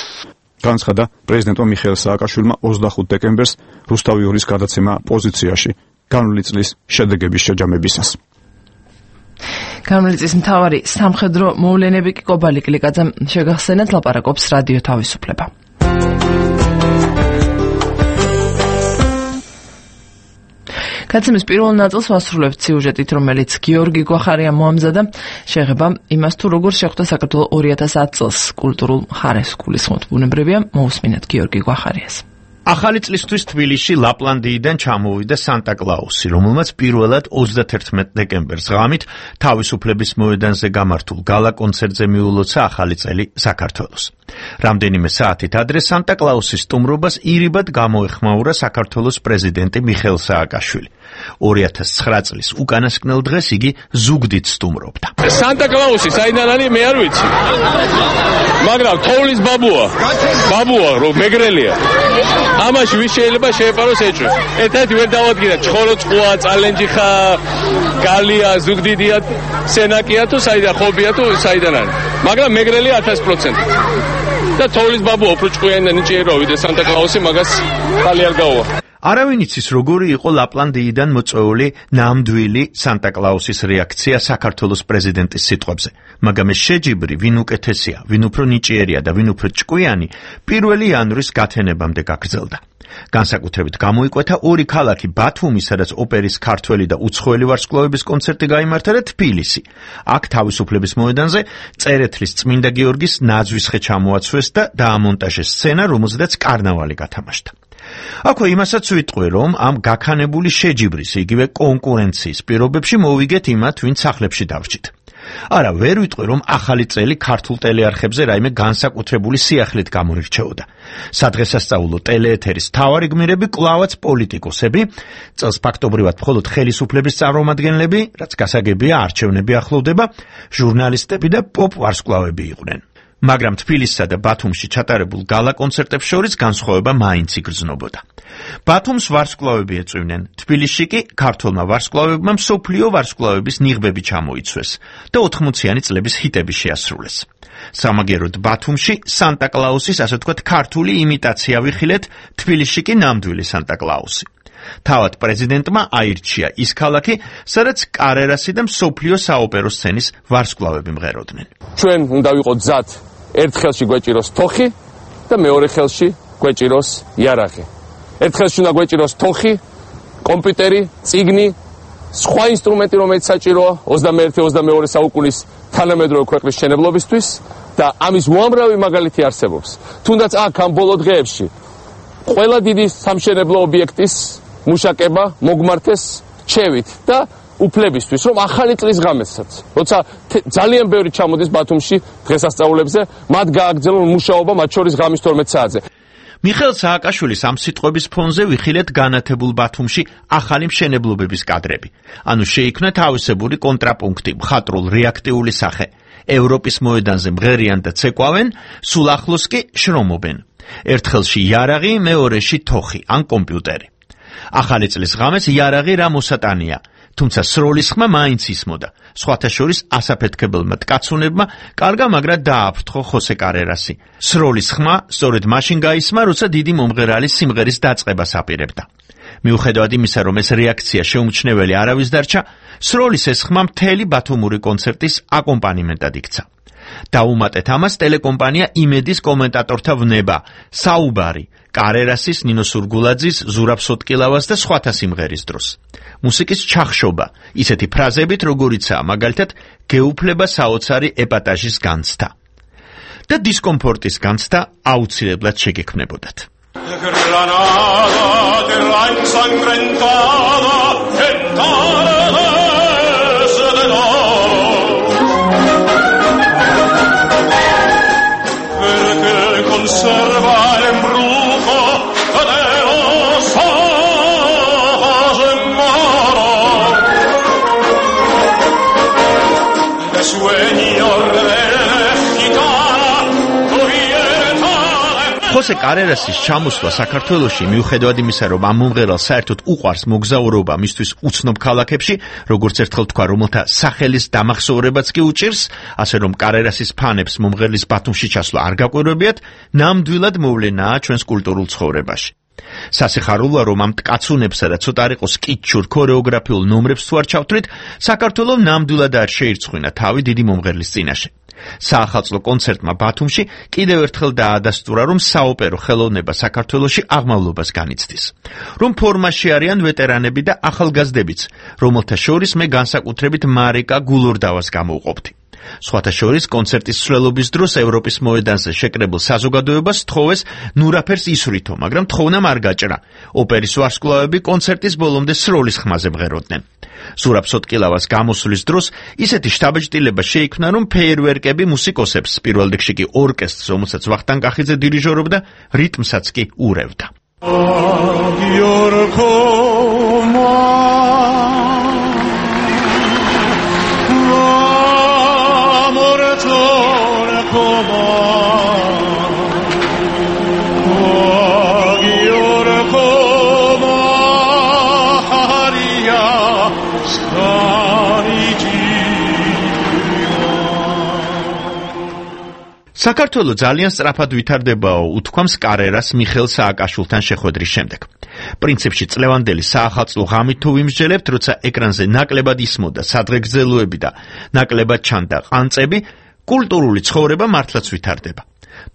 განცხადა პრეზიდენტმა მიხეილ სააკაშვილმა 25 დეკემბერს რუსთავი 2-ის გადაცემა პოზიციაში განვლილი წლის შედეგების შეჯამებისას. განვლილი წლის მთავარი სამხედრო მოვლენები კი კობალი კლიკაძემ შეგახსენეთ, ლაპარაკობს რადიო თავისუფლება. გადაცემის პირველ ნაწილს ვასრულებთ სიუჟეტით, რომელიც გიორგი გვახარიამ მოამზადა, შეეხება იმას, თუ როგორ შეხვდა საქართველოს 2010 წელს კულტურულ მხარეს გულისხმობთ ბუნებრივია, მოусმინეთ გიორგი გვახარიას. ახალი წლისთვის თბილისში ლაპლანდიიდან ჩამოვიდა სანტა-კლაუსი, რომელმაც პირველად 31 დეკემბერს ღამით თავისუფლების მოედანზე გამართულ გალა კონცერტზე მიულოცა ახალი წელი საქართველოს. რამდენიმე საათით ადრე სანტა-კლაუსის სტუმრობას ირიბად გამოეხმაურა საქართველოს პრეზიდენტი მიხეილ სააკაშვილი. 2009 წლის უკანასკნელ დღეს იგი ზუგდიდ სტუმრობდა. სანტა-კლაუსი საიდან არის მე არ ვიცი. მაგრამ თოვლის ბაბუა რომ მეგრელია. ამაში ვის შეიძლება შეეპაროს ეჭვს. ერთად ვერ დავადგინა ჩხორო წყუა, წალენჯი ხა, გალია, ზუგდიდია, სენაკია თუ საიდან ხობია თუ საიდან არის. მაგრამ მეგრელია 1000%. და თოვლის ბაბუა უფრო ჭკვიანი და ნიჭიერო ვიდრე სანტა-კლაუსი, მაგას ხალი არ გაუვა. არავინ იცის როგორი იყო ლაპლანდიიდან მოწვეული ნამდვილი სანტა-კლაუსის რეაქცია საქართველოს პრეზიდენტის სიტყვებზე, მაგრამ ეს შეჯიბრი ვინ უკეთესია, ვინ უფრო ნიჭიერია და ვინ უფრო ჭკვიანი 1 იანვრის გათენებამდე გაგრძელდა. განსაკუთრებით გამოიკვეთა ორი ქალაქი ბათუმი, სადაც ოპერის ქართველი და უცხოელი ვარსკვლავების კონცერტი გაიმართა და თბილისი. აქ თავისუფლების მოედანზე წერეთლის წმინდა გიორგის ნაძვისხე ჩამოაცვეს და დაამონტაჟეს სცენა, რომელზედაც კარნავალი გათამაშდა. აქვე იმასაც ვიტყვი, რომ ამ გაქანებული შეჯიბრის, იგივე კონკურენციის პირობებში მოვიგეთ იმათ, ვინც სახლებში დავრჩით. არა, ვერ ვიტყვი, რომ ახალი წელი ქართულ ტელეარხებზე რაიმე განსაკუთრებული სიახლით გამორჩეოდა. სადღესასწაულო ტელეეთერის მთავარი გმირები კვლავაც პოლიტიკოსები, წელს ფაქტობრივად მხოლოდ ხელისუფლების წარმომადგენლები, რაც გასაგებია არჩევნები ახლოვდება, ჟურნალისტები და პოპ ვარსკვლავები იყვნენ. მაგრამ თბილისსა და ბათუმში ჩატარებულ გალა კონცერტებს შორის განსხვავება მაინც იგრძნობოდა. ბათუმს ვარსკვლავები ეწვივნენ, თბილისში კი ქართველმა ვარსკვლავებმა მსოფლიო ვარსკვლავების ნიღბები ჩამოიცვეს და 80-იანი წლების ჰიტები შეასრულეს. სამაგეროდ ბათუმში სანტა-კლაუსის, ასე ვთქვათ, ქართული იმიტაცია ვიხილეთ, თბილისში კი ნამდვილი სანტა-კლაუსი. თავად პრეზიდენტმა აირჩია ის ქალაქი, სადაც კარერასი და მსოფლიო საოპერო სცენის ვარსკვლავები მღეროდნენ. ჩვენ უნდა ვიყოთ გზად, ერთ ხელში გვეჭიროს თოხი და მეორე ხელში გვეჭიროს იარაღი. ერთ ხელში უნდა გვეჭიროს თოხი, კომპიუტერი, წიგნი, სხვა ინსტრუმენტი, რომელიც საჭიროა 21-22 საუკუნის თანამედროვე ქვეყნის მშენებლობისთვის და ამის უამრავი მაგალითი არსებობს. თუნდაც აქ ამ ბოლო დღეებში ყველა დიდი სამშენებლო ობიექტის მუშაკება მოგმართეს რჩევით და უფლებისთვის, რომ ახალი წლის ღამესაც, როცა ძალიან ბევრი ჩამოდის ბათუმში დღესასწაულებზე, მათ გააგრძელონ მუშაობა მათ შორის ღამის 12 საათზე. მიხეილ სააკაშვილის ამ სიტყვების ფონზე ვიხილეთ განათებულ ბათუმში ახალი მშენებლობების კადრები. ანუ შეიქმნა თავისებური კონტრაპუნქტი, მხატვრულ რეაქტიული სახე. ევროპის მოედანზე მღერიან და ცეკვავენ, სულ ახლოს კი შრომობენ. ერთ ხელში იარაღი, მეორეში თოხი ან კომპიუტერი. ახალი წლის ღამეს იარაღი რა მოსატანია, თუმცა სროლის ხმა მაინც ისმოდა. სხვათა შორის ასაფეთქებელმა ткаცუნებმა კარგა მაგრად დააფრთხო ხოსე კარერასი. სროლის ხმა სწორედ მაშინ გაისმა, როცა დიდი მომღერალის სიმღერის დაწყებას აპირებდა. მიუხედავად იმისა, რომ ეს რეაქცია შეუმჩნეველი არავის დარჩა, სროლის ეს ხმა მთელი ბათუმური კონცერტის აკომპანიმენტად იქცა. დაუმატეთ ამას ტელეკომპანია იმედის კომენტატორთა ვნება, საუბარი, კარერასის, ნინო სურგულაძის, ზურაბ სოტკილავას და სხვათა სიმღერის დროს. მუსიკის ჩახშობა, ისეთი ფრაზებით, როგორიცაა მაგალითად გეუფლება საოცარი ეპატაჟის განცდა. და დისკომფორტის განცდა აუცილებლად შეგექმნებოდათ. ხოსე კარერასის ჩამოსვლა საქართველოში მიუხედავად იმისა, რომ ამ მომღერალს საერთოდ უყვარს მოგზაურობა მისთვის უცნობ ქალაქებში, როგორც ერთხელ თქვა, რომელთა სახელის დამახსოვრებაც კი უჭირს, ასე რომ კარერასის ფანებს მომღერლის ბათუმში ჩასვლა არ გაკვირვებიათ, ნამდვილად მოვლენაა ჩვენს კულტურულ ცხოვრებაში. სასიხარულოა, რომ ამ ткаცუნებსა და ცოტა არ იყოს კიჩურ ქორეოგრაფიულ ნომრებს თუ არ ჩავთვლით, საქართველოს ნამდვილად არ შეირცხვინა თავი დიდი მომღერლის წინაშე. საახალწლო კონცერტმა ბათუმში კიდევ ერთხელ დაადასტურა, რომ საოპერო ხელოვნება საქართველოში აღმავლობას განიცდის. რომ ფორმაში არიან ვეტერანები და ახალგაზრდებიც, რომელთა შორის მე განსაკუთრებით მარიკა გულორდავას გამოვყოფდი. სხვათა შორის კონცერტის სვლელობის დროს ევროპის მოედანზე შეკრებილ საზოგადოებას თხოვეს ნურაფერს ისვრითო, მაგრამ თხოვნა არ გაჭრა. ოპერის ვარსკვლავები კონცერტის ბოლომდე სროლის ხმაზე მღეროდნენ. ზურაბ სოტკილავას გამოსვლის დროს ისეთი შთაბეჭდილება შეიქმნა, რომ ფეიერვერკები მუსიკოსებს, პირველ რიგში კი ორკესტრს, რომელსაც ვახტანგ კახიძე დირიჟორობდა, რიტმსაც კი ურევდა. საქართველო ძალიან სწრაფად ვითარდებაო, უთქვამს კარერას მიხეილ სააკაშვილთან შეხვედრის შემდეგ. პრინციპში წლევანდელი საახალწლო ღამით თუ ვიმსჯელებთ, როცა ეკრანზე ნაკლებად ისმოდა სადღეგრძელოები და ნაკლებად ჩანდა ყანწები, კულტურული ცხოვრება მართლაც ვითარდება.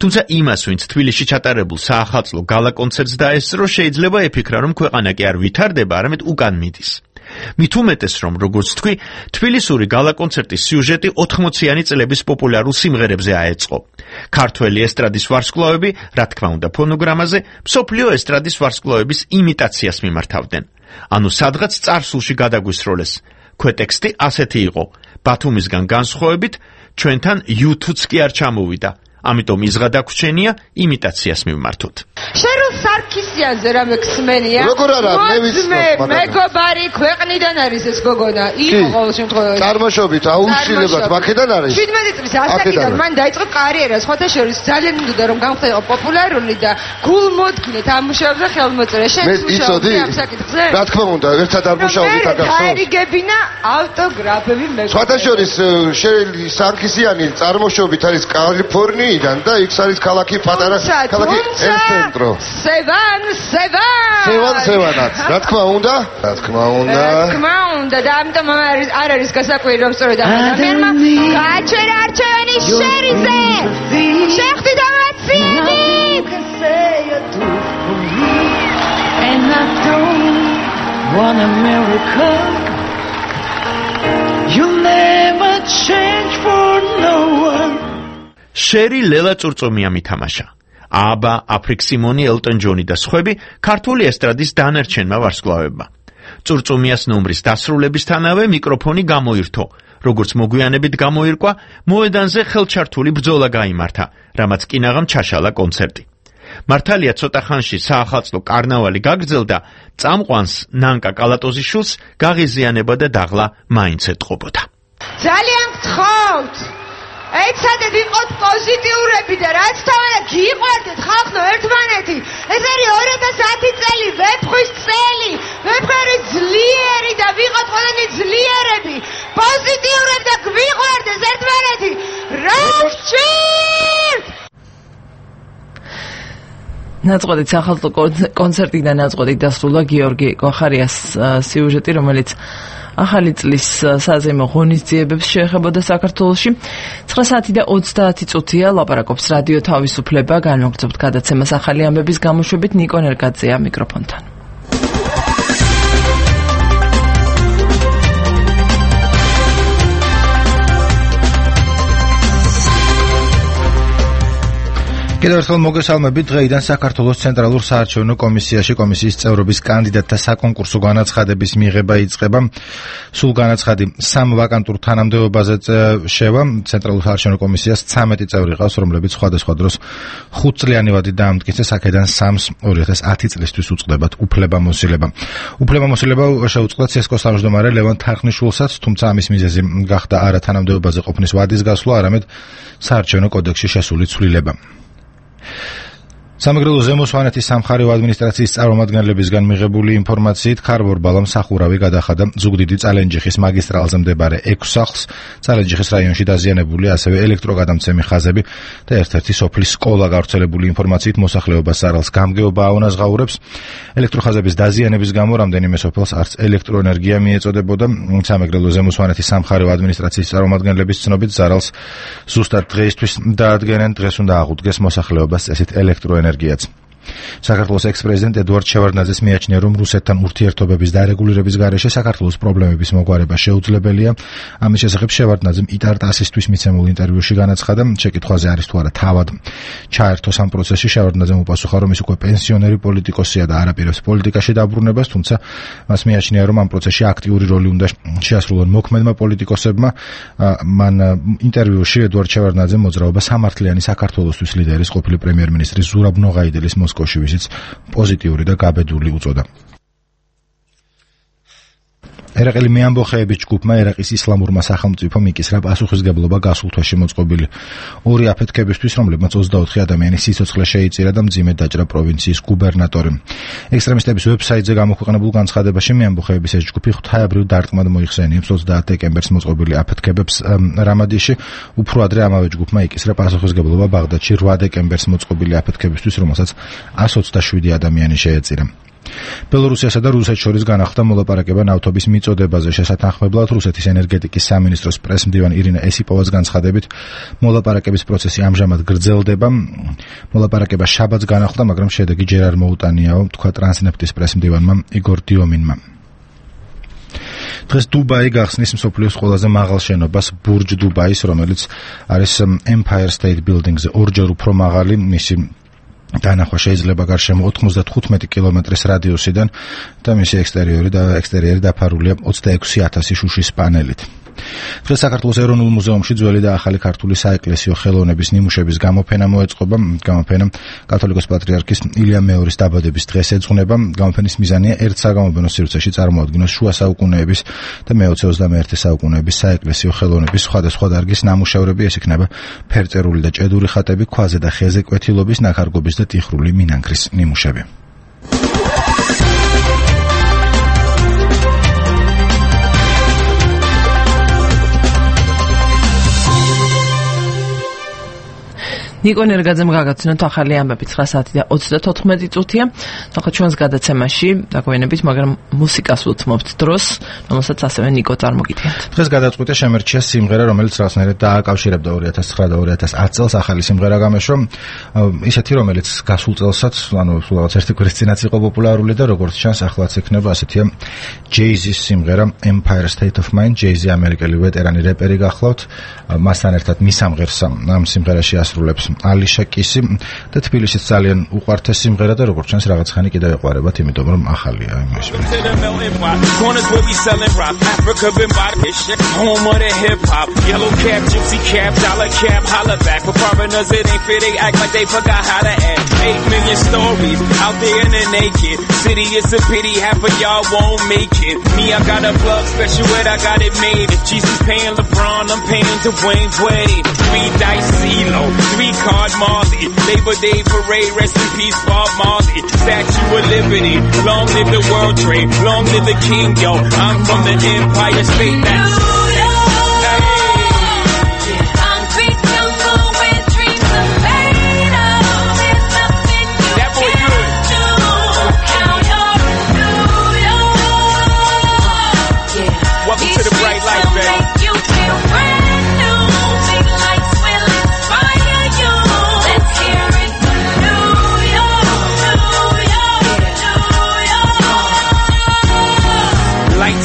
თუმცა იმას, ვინც თბილისში ჩატარებულ საახალწლო გალა კონცერტს დაესწრო, შეიძლება ეფიქრა, რომ ქვეყანა კი არ ვითარდება, არამედ უკან მიდის. მით უმეტეს, რომ როგორც თქვი, თბილისური გალა კონცერტის სიუჟეტი 80-იანი წლების პოპულარულ სიმღერებზე აეწყო. ქართველი ესტრადის ვარსკვლავები, რა თქმა უნდა ფონოგრამაზე, მსოფლიო ესტრადის ვარსკვლავების იმიტაციას მიმართავდნენ. ანუ სადღაც წარსულში გადაგვისროლეს. ქვეტექსტი ასეთი იყო: ბათუმისგან განსხვავებით, ჩვენთან YouTube-ც კი არ ჩამოვიდა. ამიტომ იზღა დაგვრჩენია იმიტაციას მივმართოთ. შერულ სარქისიანზე რამე გსმენია? როგორ არა, მე ვიცნობ, მეგობარი ქვეყნიდან არის ეს გოგონა. იყო ყოველ შემთხვევაში. წარმოშობით აუცილებლად მაქედან არის. 17 წლის ასაკიდან მან დაიწყო კარიერა, სხვათა შორის ძალიან მინდოდა რომ გამხდარიყო პოპულარული და გულმოდგინედ ამუშავებდა ხელმოწერა. შენ მუშაობდი ამ საკითხზე? რა თქმა უნდა, ერთად არ მუშაობდი თაგახსოვს. დაერიგებინა ავტოგრაფები მეგობარი. სხვათა შორის შერილი სარქისიანი წარმოშობით არის კალიფორნიიდან და იქ არის ქალაქი პატარა ქალაქი ელცენტრო. სევანაც. რა თქმა უნდა? რა თქმა უნდა და ამიტომ არ არის გასაკვირი რომ სწორედ ამ ადამიანმა გააჩერა არჩევანი შერიზე. შეხტი და მაციები. And I don't want a miracle. You'll never change for no one. შერი ლელა წურწუმია მითამაშა. აბა, აფრიკ სიმონი, ელტონ ჯონი და სხვები ქართული ესტრადის დანარჩენმა ვარსკვლავებმა. წურწუმიას ნომრის დასრულებისთანავე მიკროფონი გამოირთო. როგორც მოგვიანებით გამოირკვა, მოედანზე ხელჩართული ბრძოლა გაიმართა, რამაც კინაღამ ჩაშალა კონცერტი. მართალია ცოტა ხანში საახალწლო კარნავალი გაგრძელდა, წამყვანს ნანკა კალატოზიშვილს გაღიზიანება და დაღლა მაინც ეტყობოდა. ძალიან გთხოვთ, ეცადეთ იყოთ პოზიტიურები და რაც თავად გიყვარდეთ ხალხო ერთმანეთი. ეს არის 2010 წელი, ვეფხვის წელი. ვეფხვი არის ძლიერი და ვიყოთ ყველანი ძლიერები. პოზიტიურები და გვიყვარდეს ერთმანეთი. რა გჭირთ? ნაწყვეტით სახალხო კონცერტიდან ნაწყვეტით დასრულდა გიორგი კოხარიას სიუჟეტი, რომელიც ახალი წლის საზეიმო ღონისძიებებს შეეხებოდა საქართველოში. 9 საათი და 30 წუთია ლაპარაკობს რადიო თავისუფლება. განმოგრძობთ გადაცემას ახალი ამბების გამოშვებით. ნიკო ნერგაძეა მიკროფონთან. კიდევ ერთხელ მოგესალმებით. დღეიდან საქართველოს ცენტრალურ საარჩევნო კომისიაში კომისიის წევრობის კანდიდატთა საკონკურსო განაცხადების მიღება იწყება. სულ განაცხადი 3 ვაკანტურ თანამდებობაზე შევა. ცენტრალურ საარჩევნო კომისიას 13 წევრი ყავს, რომლებიც სხვადასხვა დროს 5 წლიანი ვადით დაამტკიცეს, აქედან 3-ს 2010 წლისთვის უწყდებათ უფლებამოსილება. უფლებამოსილება შეუწყდა ცესკოს თავმჯდომარე ლევან თარხნიშვილსაც, თუმცა ამის მიზეზი გახდა არა თანამდებობაზე ყოფნის ვადის გასვლა, არამედ საარჩევნო კოდექსში შესული ცვლილება. სამეგრელო ზემო სვანეთის სამხარეო ადმინისტრაციის წარმომადგენლებისგან მიღებული ინფორმაციით ქარბორ ბალამ სახურავი გადახადა ზუგდიდი წალენჯიხის მაგისტრალზე მდებარე 6 სახლს. წალენჯიხის რაიონში დაზიანებული ასევე ელექტროგადამცემი ხაზები და ერთ-ერთი სოფლის სკოლა. გავრცელებული ინფორმაციით მოსახლეობას სარალს გამგეობა აუნაზღაურებს. ელექტროხაზების დაზიანების გამო რამდენიმე სოფელს არც ელექტროენერგია მიეწოდებოდა. სამეგრელო ზემო სვანეთის სამხარეო ადმინისტრაციის წარმომადგენლების ცნობით ზარალს ზუსტად დღეისთვის დაადგენენ. დღეს უნდა აღუდგეს მოსახლეობას წესით ელექტროენერგიაც. საქართველოს ექს-პრეზიდენტ ედუარდ შევარდნაძეს მიაჩნია, რომ რუსეთთან ურთიერთობების დარეგულირების გარეშე საქართველოს პრობლემების მოგვარება შეუძლებელია. ამის შესახებ შევარდნაძემ იტარტასისთვის მიცემულ ინტერვიუში განაცხადა, შეკითხვაზე არის თუ არა თავად ჩაერთოს ამ პროცესში. შევარდნაძემ უპასუხა, რომ ის უკვე პენსიონერი პოლიტიკოსია და არ აპირებს პოლიტიკაში დაბრუნებას, თუმცა მას მიაჩნია, რომ ამ პროცესში აქტიური როლი უნდა შეასრულონ მოქმედმა პოლიტიკოსებმა. მან ინტერვიუში ედუარდ შევარდნაძემ მოძრაობა სამართლიანი საქართველოსთვის ლიდერის ყოფილი პრემიერ-მინისტრის ზურაბ ნოღაიდელის მოსკოვში ვიზიტს პოზიტიური და გაბედული უწოდა. ერაყელი მეამბოხეების ჯგუფმა ერაყის ისლამურმა სახელმწიფომ იკისრა პასუხისგებლობა გასულ თვეში მოწყობილი 2 აფეთქებისთვის, რომლებმაც 24 ადამიანის სიცოცხლე შეიწირა და მძიმედ დაჭრა პროვინციის გუბერნატორი. ექსტრემისტების ვებსაიტზე გამოქვეყნებულ განცხადებაში მეამბოხეების ეს ჯგუფი ღვთაებრივ დარტყმად მოიხსენიებს 30 დეკემბერს მოწყობილი აფეთქებებს რამადიში. უფრო ადრე ამავე ჯგუფმა იკისრა პასუხისგებლობა ბაღდადში 8 დეკემბერს მოწყობილი აფეთქებისთვის, რომელსაც 127 ადამიანი შეეწირა. ბელორუსიასა და რუსეთს შორის განახლდა მოლაპარაკება ნავთობის მიწოდებაზე. შესათანხმებლად რუსეთის ენერგეტიკის სამინისტროს პრესმდივანი ირინა ესიპოვას განცხადებით, მოლაპარაკების პროცესი ამჟამად გრძელდება. მოლაპარაკება შაბათს განახლდა, მაგრამ შედეგი ჯერ არ მოუტანიაო, თქვა ტრანსნეფტის პრესმდივანმა იგორ დიომინმა. დღეს დუბაი გახსნის მსოფლიოს ყველაზე მაღალ შენობას ბურჯ დუბაის, რომელიც არის Empire State Building-ზე ორჯერ უფრო მაღალი. მისი დანახვა შეიძლება გარშემო 95 კილომეტრის რადიუსიდან და მისი ექსტერიერი დაფარულია 26,000 შუშის პანელით. დღეს საქართველოს ეროვნულ მუზეუმში ძველი და ახალი ქართული საეკლესიო ხელოვნების ნიმუშების გამოფენა მოეწყობა. გამოფენა კათოლიკოს პატრიარქის ილია მეორის დაბადების დღეს ეძღვნება. გამოფენის მიზანია ერთ საგამოფენო სივრცეში წარმოადგინოს შუა საუკუნეების და მე-20-21 საუკუნეების საეკლესიო ხელოვნების სხვადასხვა დარგის ნამუშევრები. ეს იქნება ფერწერული და ჭედური ხატები, ქვაზე და ხეზე კვეთილობის, ნაქარგობის და ტიხრული მინანქრის ნიმუშები. ნიკო ნერგაძემ გაგაცნოთ ახალი ამბები 9 საათი და 34 წუთია. ახლა ჩვენს გადაცემაში დაგვიანებით, მაგრამ მუსიკას უთმობთ დროს, რომელსაც ასევე ნიკო წარმოგიდგენთ. დღეს გადაწყვიტა შემერჩია სიმღერა, რომელიც რაღაცნაირად დააკავშირებდა 2009 და 2010 წელს ახალი სიმღერა გამეშვა. ისეთი, რომელიც გასულ წელსაც, ანუ რაღაც ერთი კვირის წინაც იყო პოპულარული და როგორც ჩანს, ახლაც იქნება ასეთია Jay-Z-ის სიმღერა Empire State of Mind. Jay-Z ამერიკელი ვეტერანი რეპერი გახლავთ. მასთან ერთად მისამღერს ამ სიმღერაში ასრულებს Alicia Keys და თბილისის ძალიან უყვართ ეს სიმღერა და როგორც ჩანს რაღაც ხანი კიდევ ეყვარებათ, იმიტომ რომ ახალია იმის. Card Marley, Labor Day Parade, rest in peace Bob Marley, Statue of Liberty, long live the World Trade, long live the King, yo, I'm from the Empire State, that's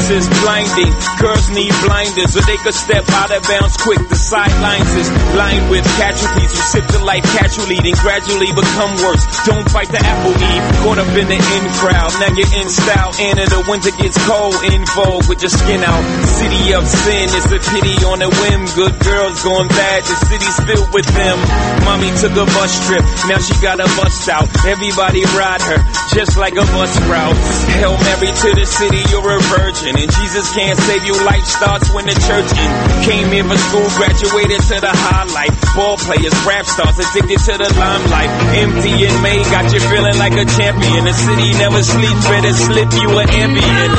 is blinding. Girls need blinders so they could step out of bounds quick. The sidelines is lined with casualties who sip the life casually, then gradually become worse. Don't fight the apple eve, caught up in the in crowd. Now you're in style, and in the winter gets cold, in vogue with your skin out. City of sin, it's a pity on a whim. Good girls going bad, the city's filled with them. Mommy took a bus trip, now she got a bus out. Everybody ride her, just like a bus route. Hail Mary to the city, you're a virgin. And Jesus can't save you, life starts when the church in. Came here for school, graduated to the highlight. Ball players, rap stars, addicted to the limelight. Empty in May, got you feeling like a champion. The city never sleeps, better slip you an ambient.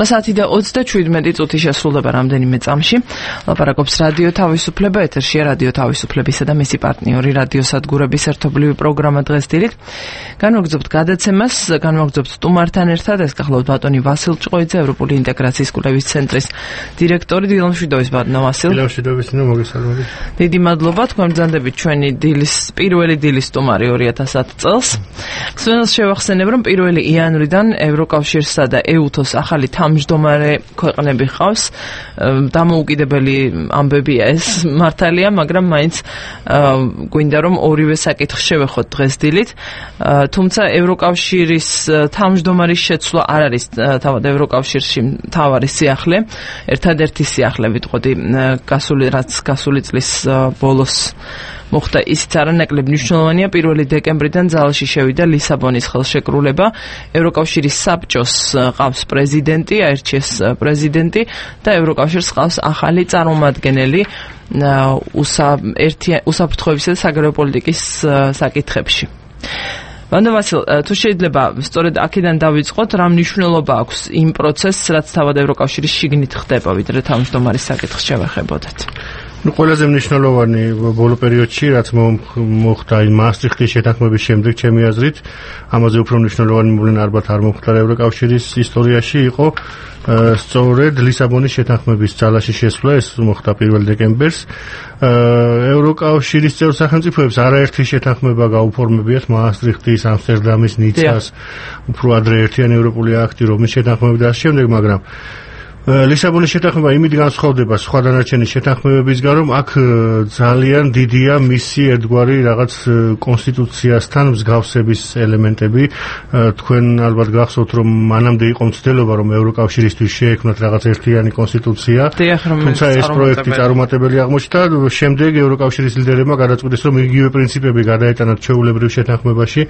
საათი და 27 წუთი შესრულდება რამდენიმე წამში. ლაპარაკობს რადიო თავისუფლება, ეთერშია რადიო თავისუფლებისა და მისი პარტნიორი რადიო სადგურების ერთობლივი პროგრამა დღეს დილით. განვაგრძობთ გადაცემას, განვაგრძობთ სტუმართან ერთად, ეს გახლავთ ბატონი ვასილ ჭყოიძე, ევროპული ინტეგრაციის კვლევის ცენტრის დირექტორი. დილამშვიდობის ბატონო ვასილ. დილამშვიდობის, მოგესალმებით. დიდი მადლობა, თქვენ ბრძანდებით ჩვენი პირველი დილის სტუმარი 2010 წელს. ხსენას შევახსენებ, რომ 1 იანვრიდან ევროკავშირსა და EUTOS ახალი თავმჯდომარე ქვეყნები ხავს. დამოუკიდებელი ამბებია ეს მართალია, მაგრამ მაინც გვინდა რომ ორივე საკითხს შევეხოთ დღეს დილით. თუმცა ევროკავშირის თავმჯდომარის შეცვლა არ არის თავად ევროკავშირში მთავარი სიახლე. ერთადერთი სიახლე ვიტყოდი გასული წლის ბოლოს მოხდა ისიც არანაკლებ მნიშვნელოვანია. 1 დეკემბრიდან ძალში შევიდა ლისაბონის ხელშეკრულება. ევროკავშირის საბჭოს ყავს პრეზიდენტი, აირჩიეს პრეზიდენტი და ევროკავშირს ყავს ახალი წარმომადგენელი უსაფრთხოებისა და საგარეო პოლიტიკის საკითხებში. ბატონო ვასილ, თუ შეიძლება სწორედ აქედან დავიწყოთ, რა მნიშვნელობა აქვს იმ პროცესს, რაც თავად ევროკავშირის შიგნით ხდება, ვიდრე თავმჯდომარის საკითხს შევეხებოდეთ. ყველაზე მნიშვნელოვანი ბოლო პერიოდში, რაც მოხდა მასტრიხტის შეთანხმების შემდეგ, ჩემი აზრით, ამაზე უფრო მნიშვნელოვანი მოვლენა არ მოხდა ევროკავშირის ისტორიაში, იყო სწორედ ლისაბონის შეთანხმების ძალაში შესვლა. ეს მოხდა 1 დეკემბერს. ევროკავშირის წევრ სახელმწიფოებს არაერთი შეთანხმება გაუფორმებიათ მასტრიხტის, ამსტერდამის, ნიცას, უფრო ადრე ერთიანი ევროპული აქტი, რომის შეთანხმები და ამ შემდეგ, მაგრამ ლისაბონის შეთანხმება იმით განსხვავდება სხვა დანარჩენი შეთანხმებებისგან, რომ აქ ძალიან დიდია მისი ერთგვარი რაღაც კონსტიტუციასთან მსგავსების ელემენტები. თქვენ ალბათ გახსოვთ, რომ მანამდე იყო მცდელობა, რომ ევროკავშირისთვის შეექმნათ რაღაც ერთიანი კონსტიტუცია. თუმცა ეს პროექტი წარუმატებელი აღმოჩნდა. შემდეგ ევროკავშირის ლიდერებმა გადაწყვიტეს, რომ იგივე პრინციპები გადაეტანათ ჩვეულებრივ შეთანხმებაში.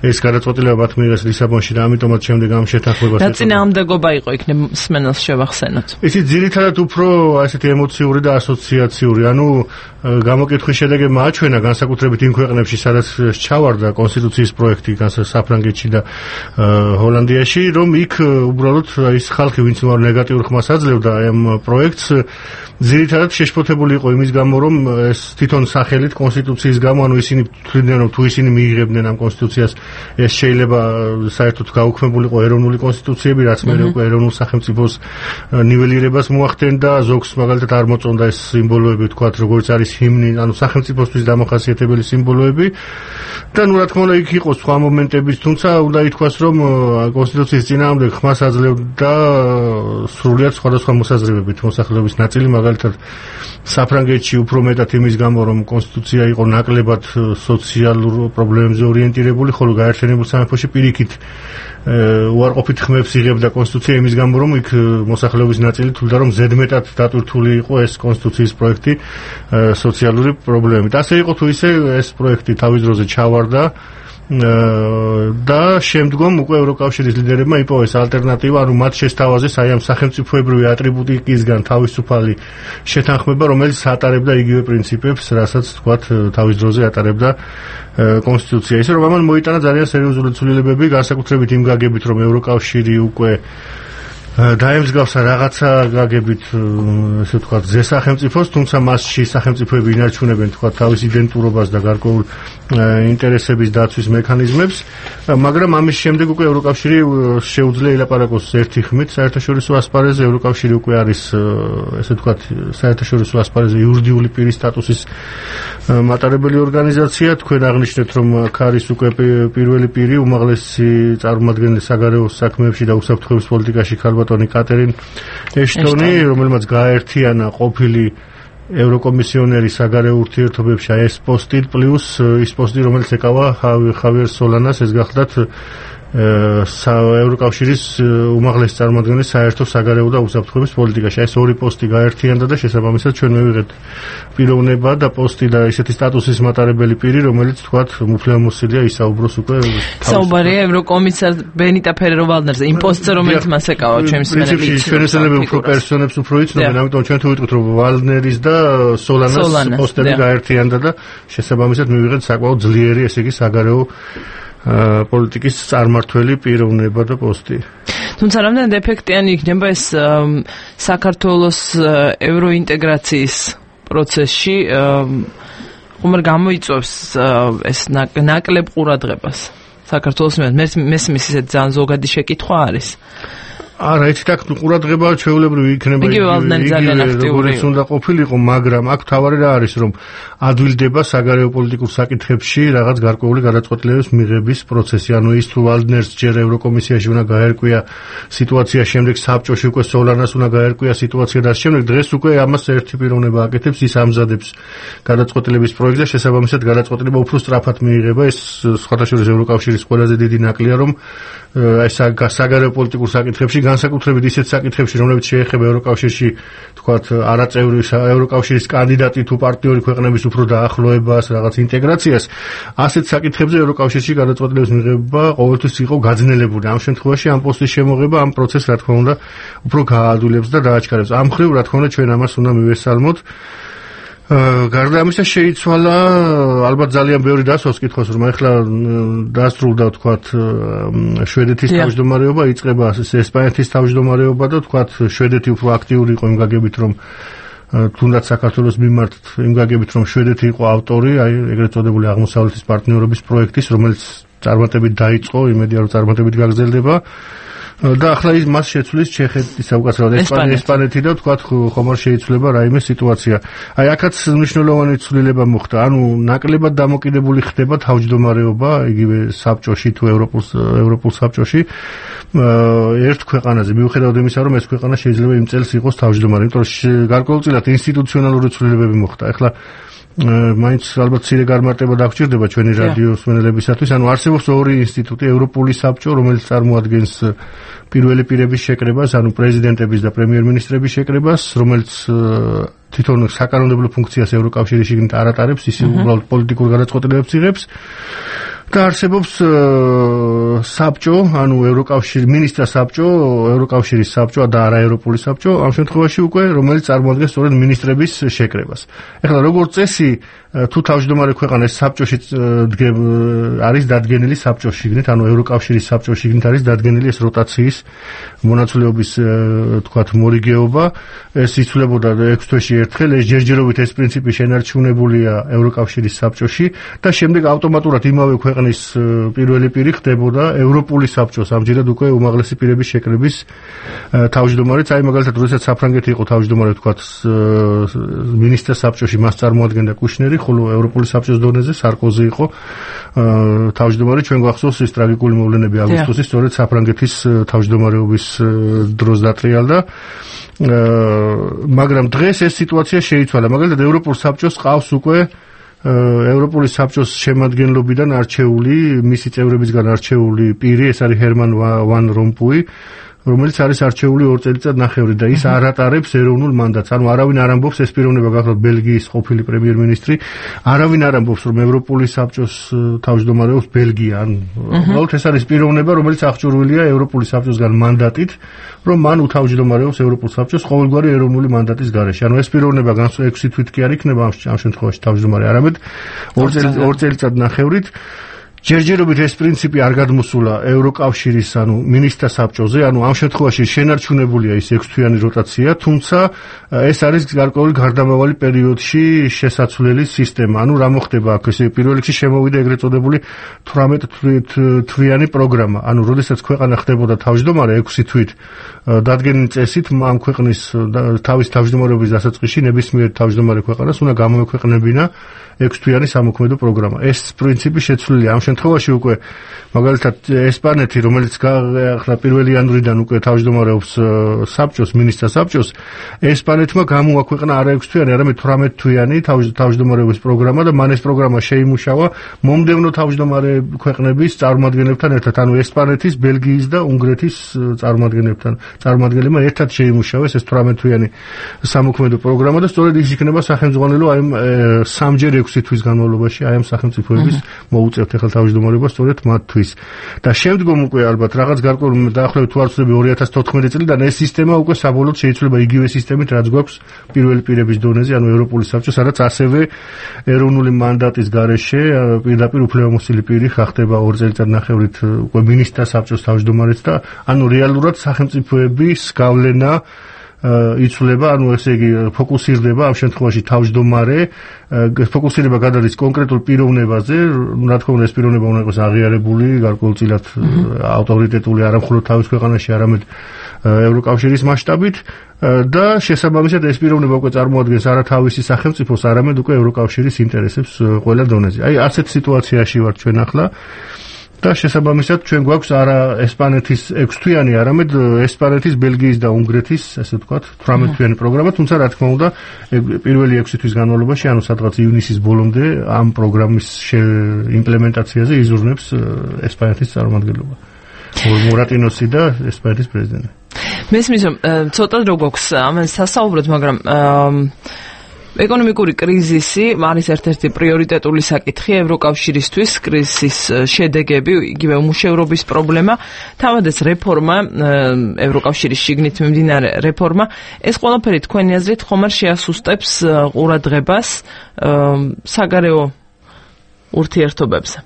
ეს გადაწყვეტილება მათ მიიღეს ლისაბონში და ამიტომაც შემდეგ ამ შეთანხმებას დაწინააღმდეგობა იყო იქნებ მსმენელს შევახსენოთ. ისიც ძირითადად უფრო ასეთი ემოციური და ასოციაციური, ანუ გამოკითხვის შედეგებმა აჩვენა განსაკუთრებით იმ ქვეყნებში, სადაც ჩავარდა კონსტიტუციის პროექტი, საფრანგეთში და ჰოლანდიაში, რომ იქ უბრალოდ ის ხალხი, ვინც ნეგატიურ ხმას აძლევდა ამ პროექტს, ძირითადად შეშფოთებული იყო იმის გამო, რომ ეს თვითონ სახელით კონსტიტუციის გამო, ანუ ისინი თვლიდნენ, რომ თუ ისინი მიიღებდნენ ამ კონსტიტუციას, ეს შეიძლება საერთოდ გაუქმებულიყო ეროვნული კონსტიტუციები, რაც მერე უკვე ეროვნულ სახელმწიფოს ნიველირებას მოახდენდა, ზოგს მაგალითად არ მოწონდა ეს სიმბოლოები, თქვათ, როგორც არის ჰიმნი, ანუ სახელმწიფოსთვის დამახასიათებელი სიმბოლოები და რა თქმა უნდა იქ იყო სხვა მომენტებიც, თუმცა უნდა ითქვას, რომ კონსტიტუციის წინააღმდეგ ხმას აძლევდა სრულიად სხვადასხვა მოსაზრებებით მოსახლეობის ნაწილი, მაგალითად საფრანგეთში უფრო მეტად იმის გამო, რომ კონსტიტუცია იყო ნაკლებად სოციალურ პრობლემებზე ორიენტირებული, ხოლო გაერთიანებულ სამეფოში პირიქით უარყოფით ხმებს იღებდა კონსტიტუცია იმის გამო, რომ იქ მოსახლეობის ნაწილი თვლიდა, რომ ზედმეტად დატვირთული იყო ეს კონსტიტუციის პროექტი სოციალური პრობლემით. ასე იყო თუ ისე ეს პროექტი თავის დროზე ჩავარდა და შემდგომ უკვე ევროკავშირის ლიდერებმა იპოვეს ალტერნატივა, ანუ მათ შესთავაზეს აი ამ სახელმწიფოებრივი ატრიბუტიკისგან თავისუფალი შეთანხმება, რომელიც ატარებდა იგივე პრინციპებს, რასაც თქვათ თავის დროზე ატარებდა კონსტიტუცია. ისე რომ ამან მოიტანა ძალიან სერიოზული ცვლილებები, განსაკუთრებით იმ გაგებით, რომ ევროკავშირი უკვე დაემსგავსა რაღაცა გაგებით, ესე ვთქვათ, ზესახელმწიფოს, თუმცა მასში სახელმწიფოები ინარჩუნებენ, თქვათ, თავის იდენტურობას და გარკვეულ ინტერესების დაცვის მექანიზმებს, მაგრამ ამის შემდეგ უკვე ევროკავშირი შეუძლია ილაპარაკოს ერთი ხმით საერთაშორისო ასპარეზზე. ევროკავშირი უკვე არის, ესე ვთქვათ, საერთაშორისო ასპარეზზე იურიდიული პირის სტატუსის მატარებელი ორგანიზაცია. თქვენ აღნიშნეთ, რომ აქ არის უკვე პირველი პირი, უმაღლესი წარმომადგენელი საგარეო საქმეებში და უსაფრთხოების პოლიტიკაში ქალბატონი კატერინ ეშტონი, რომელმაც გააერთიანა ყოფილი ევროკომისიონერი საგარეო ურთიერთობებში ეს პოსტი პლუს ის პოსტი, რომელიც ეკავა ხავიერ სოლანას, ეს გახლდათ ევროკავშირის უმაღლესი წარმომადგენელი საერთო საგარეო და უსაფრთხოების პოლიტიკაში. ეს ორი პოსტი გაერთიანდა და შესაბამისად ჩვენ მივიღეთ პიროვნება და პოსტი და ისეთი სტატუსის მატარებელი პირი, რომელიც თქვათ მუფლემოსილია ისაუბროს უკვე საუბარია ევროკომისარ ბენიტა ფერერო-ვალდნერზე, იმ პოსტზე, რომელიც მას ეკავა ჩვენს პრინციპში ჩვენ ესენები უფრო პერსონებს უფრო იცნობენ, ამიტომ ჩვენ თუ ვიტყვით, რომ ვალდნერის და სოლანას პოსტები გაერთიანდა და შესაბამისად მივიღეთ საკმაოდ ძლიერი, ესე იგი საგარეო პოლიტიკის წარმართველი პიროვნება და პოსტი. თუმცა რამდენად ეფექტიანი იქნება ეს საქართველოს ევროინტეგრაციის პროცესში, ხომ გამოიწვევს ეს ნაკლებ ყურადღებას საქართველოს მესმის ისეთ ძალიან ზოგადი შეკითხვა არის. არა, იცით, აქ ყურადღება ჩვეულებრივ იქნება როგორც უნდა ყოფილიყო, მაგრამ აქ თავარი რა არის, რომ ადვილდება საგარეო პოლიტიკურ საკითხებში რაღაც გარკვეული გადაწყვეტილებების მიღების პროცესი. ანუ ის თუ ვალდნერს ჯერ ევროკომისიაში უნდა გაერკვია სიტუაცია, შემდეგ საბჭოში უკვე სოლანას უნდა გაერკვია სიტუაცია და შემდეგ დღეს უკვე ამას ერთი პიროვნება აკეთებს, ის ამზადებს გადაწყვეტილების პროექტს და შესაბამისად გადაწყვეტილება უფრო სწრაფად მიიღება. ეს სხვადასხვა ევროკავშირის ყველაზე დიდი ნაკლია, რომ ეს საგარეო პოლიტიკურ საკითხებში, განსაკუთრებით ისეთ საკითხებში, რომლებიც შეეხება ევროკავშირში, თქვათ, არაწევრი ევროკავშირის კანდიდატი თუ პარტნიორი ქვეყნების უფრო დაახლოებას, რაღაც ინტეგრაციას, ასეთ საკითხებზე ევროკავშირში გადაწყვეტილების მიღება ყოველთვის იყო გაძნელებული. ამ შემთხვევაში ამ პოსტის შემოღება ამ პროცესს, რა თქმა უნდა, უფრო გაადვილებს და დააჩქარებს. ამ მხრივ, რა თქმა უნდა, ჩვენ ამას უნდა მივესალმოთ. გარდა ამისა შეიცვალა ალბათ ძალიან ბევრი დასვავს კითხავს, რომ ახლა დასრულდა, თქვათ, შვედეთის თავმჯდომარეობა, იწყება ესპანეთის თავმჯდომარეობა და თქვათ, შვედეთი უფრო აქტიური იყო იმ გაგებით, რომ თუნდაც საქართველოს მიმართ იმ გაგებით, რომ შვედეთი იყო ავტორი, აი ეგრეთ წოდებული აღმოსავლეთის პარტნიორობის პროექტის, რომელიც წარმატებით დაიწყო, იმედია რომ წარმატებით გაგრძელდება. და ახლა ის მას შეცვლის ჩეხეთი საუკეთესოდ ესპანეთი და თქვათ ხომ არ შეიცვლება რაიმე სიტუაცია. აი აქაც მნიშვნელოვანი ცვლილება მოხდა. ანუ ნაკლებად დამოკიდებული ხდება თავმჯდომარეობა იგივე საბჭოში თუ ევროპულ საბჭოში ერთ ქვეყანაზე. მიუხედავად იმისა, რომ ეს ქვეყანა შეიძლება იმ წელს იყოს თავმჯდომარე, იმიტომ რომ გარკვეულწილად ინსტიტუციონალური ცვლილებები მოხდა. ახლა მაინც ალბათ ცირე გამარტება დაგჭირდება ჩვენი რადიოს მსმენელებისათვის. ანუ არსებობს ორი ინსტიტუტი, ევროპული საბჭო, რომელიც წარმოადგენს პირველი პირების შეკრებას, ანუ პრეზიდენტების და პრემიერ-მინისტრების შეკრებას, რომელიც თვითონ საკანონმდებლო ფუნქციას ევროკავშირის შიგნით არ ატარებს, ის უბრალოდ პოლიტიკურ გადაწყვეტილებებს იღებს. და არსებობს საბჭო, ანუ მინისტრთა საბჭო, ევროკავშირის საბჭო და არაევროპული საბჭო, ამ შემთხვევაში უკვე რომელიც წარმოადგენს სწორედ მინისტრების შეკრებას. ეხლა როგორც წესი, თუ თავმჯდომარე ქვეყანა საბჭოში არის დადგენილი საბჭოს შიგნით, ანუ ევროკავშირის საბჭოს შიგნით არის დადგენილი ეს როტაციის მონაცვლეობის თქვათ მორიგეობა, ეს იცვლებოდა 6 თვეში ერთხელ, ეს ჯერჯერობით ეს პრინციპი შენარჩუნებულია ევროკავშირის საბჭოში და შემდეგ ავტომატურად იმავე ქვეყნის პირველი პირი ხდებოდა ევროპული საბჭოს, ამჯერად უკვე უმაღლესი პირების შეკრების თავმჯდომარეც. აი მაგალითად, როდესაც საფრანგეთი იყო თავმჯდომარე, თქვათ მინისტრთა საბჭოში მას წარმოადგენდა კუშნერი, ხოლო ევროპული საბჭოს დონეზე სარკოზი იყო თავმჯდომარე. ჩვენ გვახსოვს ის ტრაგიკული მოვლენები აგვისტოსის, სწორედ საფრანგეთის თავმჯდომარეობის დროს დატრიალდა. მაგრამ დღეს ეს სიტუაცია შეიცვალა. მაგალითად, ევროპულ საბჭოს ყავს უკვე ევროპული საბჭოს შემადგენლობიდან არჩეული, მისი წევრებისგან არჩეული პირი, ეს არის ჰერმან ვან რომპუი, რომელიც არის არჩეული 2 წელიწად-ნახევრით და ის არ ატარებს ეროვნულ მანდატს. ანუ არავინ არ ამბობს, ეს პიროვნება გახლავთ ბელგიის ყოფილი პრემიერ-მინისტრი, არავინ არ ამბობს, რომ ევროპული საბჭოს თავმჯდომარეობს ბელგია. ანუ უბრალოდ ეს არის პიროვნება, რომელიც აღჭურვილია ევროპული საბჭოსგან მანდატით, რომ მან უთავმჯდომარეობს ევროპულ საბჭოს ყოველგვარი ეროვნული მანდატის გარეშე. ანუ ეს პიროვნება 6 თვით კი არ იქნება ამ შემთხვევაში თავმჯდომარე, არამედ 2 წელიწად-ნახევრით. ჯერჯერობით ეს პრინციპი არ გადმოსულა ევროკავშირის, ანუ მინისტრთა საბჭოზე, ანუ ამ შემთხვევაში შენარჩუნებულია ის 6 თვიანი როტაცია, თუმცა ეს არის გარკვეული გარდამავალი პერიოდში შესაძლებელი სისტემა. ანუ რა მოხდება აქ? ესე პირველ რიგში შემოვიდა ეგრეთ წოდებული 18 თვიანი პროგრამა. ანუ როდესაც ქვეყანა ხდებოდა თავმჯდომარე 6 თვით დადგენილი წესით, ამ ქვეყნის თავის თავმჯდომარეობის დასაწყისში ნებისმიერ თავმჯდომარე ქვეყანას უნდა გამოექვეყნებინა 6 თვიანი სამოქმედო პროგრამა. ეს პრინციპი შეცვლილია. ამ შემთხვევაში უკვე მაგალითად ესპანეთი, რომელიც ახლა 1 იანვრიდან უკვე თავმჯდომარეობს საბჭოს, მინისტრთა საბჭოს, ესპანეთმა გამოაქვეყნა არა 6 თვიანი, არამედ 18 თვიანი თავმჯდომარეობის პროგრამა და მან ეს პროგრამა შეიმუშავა მომდევნო თავმჯდომარე ქვეყნების წარმომადგენლებთან ერთად, ანუ ესპანეთის, ბელგიის და უნგრეთის წარმომადგენლებმა ერთად შეიმუშავეს ეს 18 თვიანი სამოქმედო პროგრამა და სწორედ ის იქნება სახელმძღვანელო აი სამჯერ 6 თვის განმავლობაში აი ამ სახელმწიფოების მოუწევთ ახლა თავმჯდომარეობა სწორედ მათთვის. და შემდგომ უკვე ალბათ რაღაც გარკვეული დაახლოებით თუ არ ვცდები 2014 წლიდან ეს სისტემა უკვე საბოლოოდ შეიცვლება იგივე სისტემით, რაც გვაქვს პირველი პირების დონეზე, ანუ ევროპული საბჭოს, სადაც ასევე ეროვნული მანდატის გარეშე პირდაპირ უფლებამოსილი პირი ხდება 2 წელიწად-ნახევრით უკვე მინისტრთა საბჭოს თავმჯდომარეც და ანუ რეალურად სახელმწიფოების გავლენა იცვლება, ანუ ესე იგი ფოკუსირდება ამ შემთხვევაში თავმჯდომარე, ფოკუსირება გადადის კონკრეტულ პიროვნებაზე, რა თქმა უნდა ეს პიროვნება უნდა იყოს აღიარებული, გარკვეულწილად ავტორიტეტული არა მხოლოდ თავის ქვეყანაში, არამედ ევროკავშირის მასშტაბით და შესაბამისად ეს პიროვნება უკვე წარმოადგენს არა თავისი სახელმწიფოს, არამედ უკვე ევროკავშირის ინტერესებს ყველა დონეზე. აი ასეთ სიტუაციაში ვართ ჩვენ ახლა. და შესაბამისად ჩვენ გვაქვს არა ესპანეთის 6 თვიანი, არამედ ესპანეთის, ბელგიის და უნგრეთის, ასე ვთქვათ, 18 თვიანი პროგრამა, თუმცა რა თქმა უნდა, პირველი 6 თვის განმავლობაში, ანუ სადღაც ივნისის ბოლომდე ამ პროგრამის იმპლემენტაციაზე იზრუნებს ესპანეთის წარმომადგენლობა. მურატინოსი და ესპანეთის პრეზიდენტი. მესმის რომ ცოტა რო გვაქვს ამან სასაუბროთ, მაგრამ ეკონომიკური კრიზისი არის ერთ-ერთი პრიორიტეტული საკითხი ევროკავშირისთვის, კრიზისის შედეგები, იგივე უმუშევრობის პრობლემა, თავადაც რეფორმა, ევროკავშირის შიგნით მიმდინარე რეფორმა, ეს ყველაფერი თქვენი აზრით ხომ არ შეასუსტებს ყურადღებას საგარეო ურთიერთობებზე?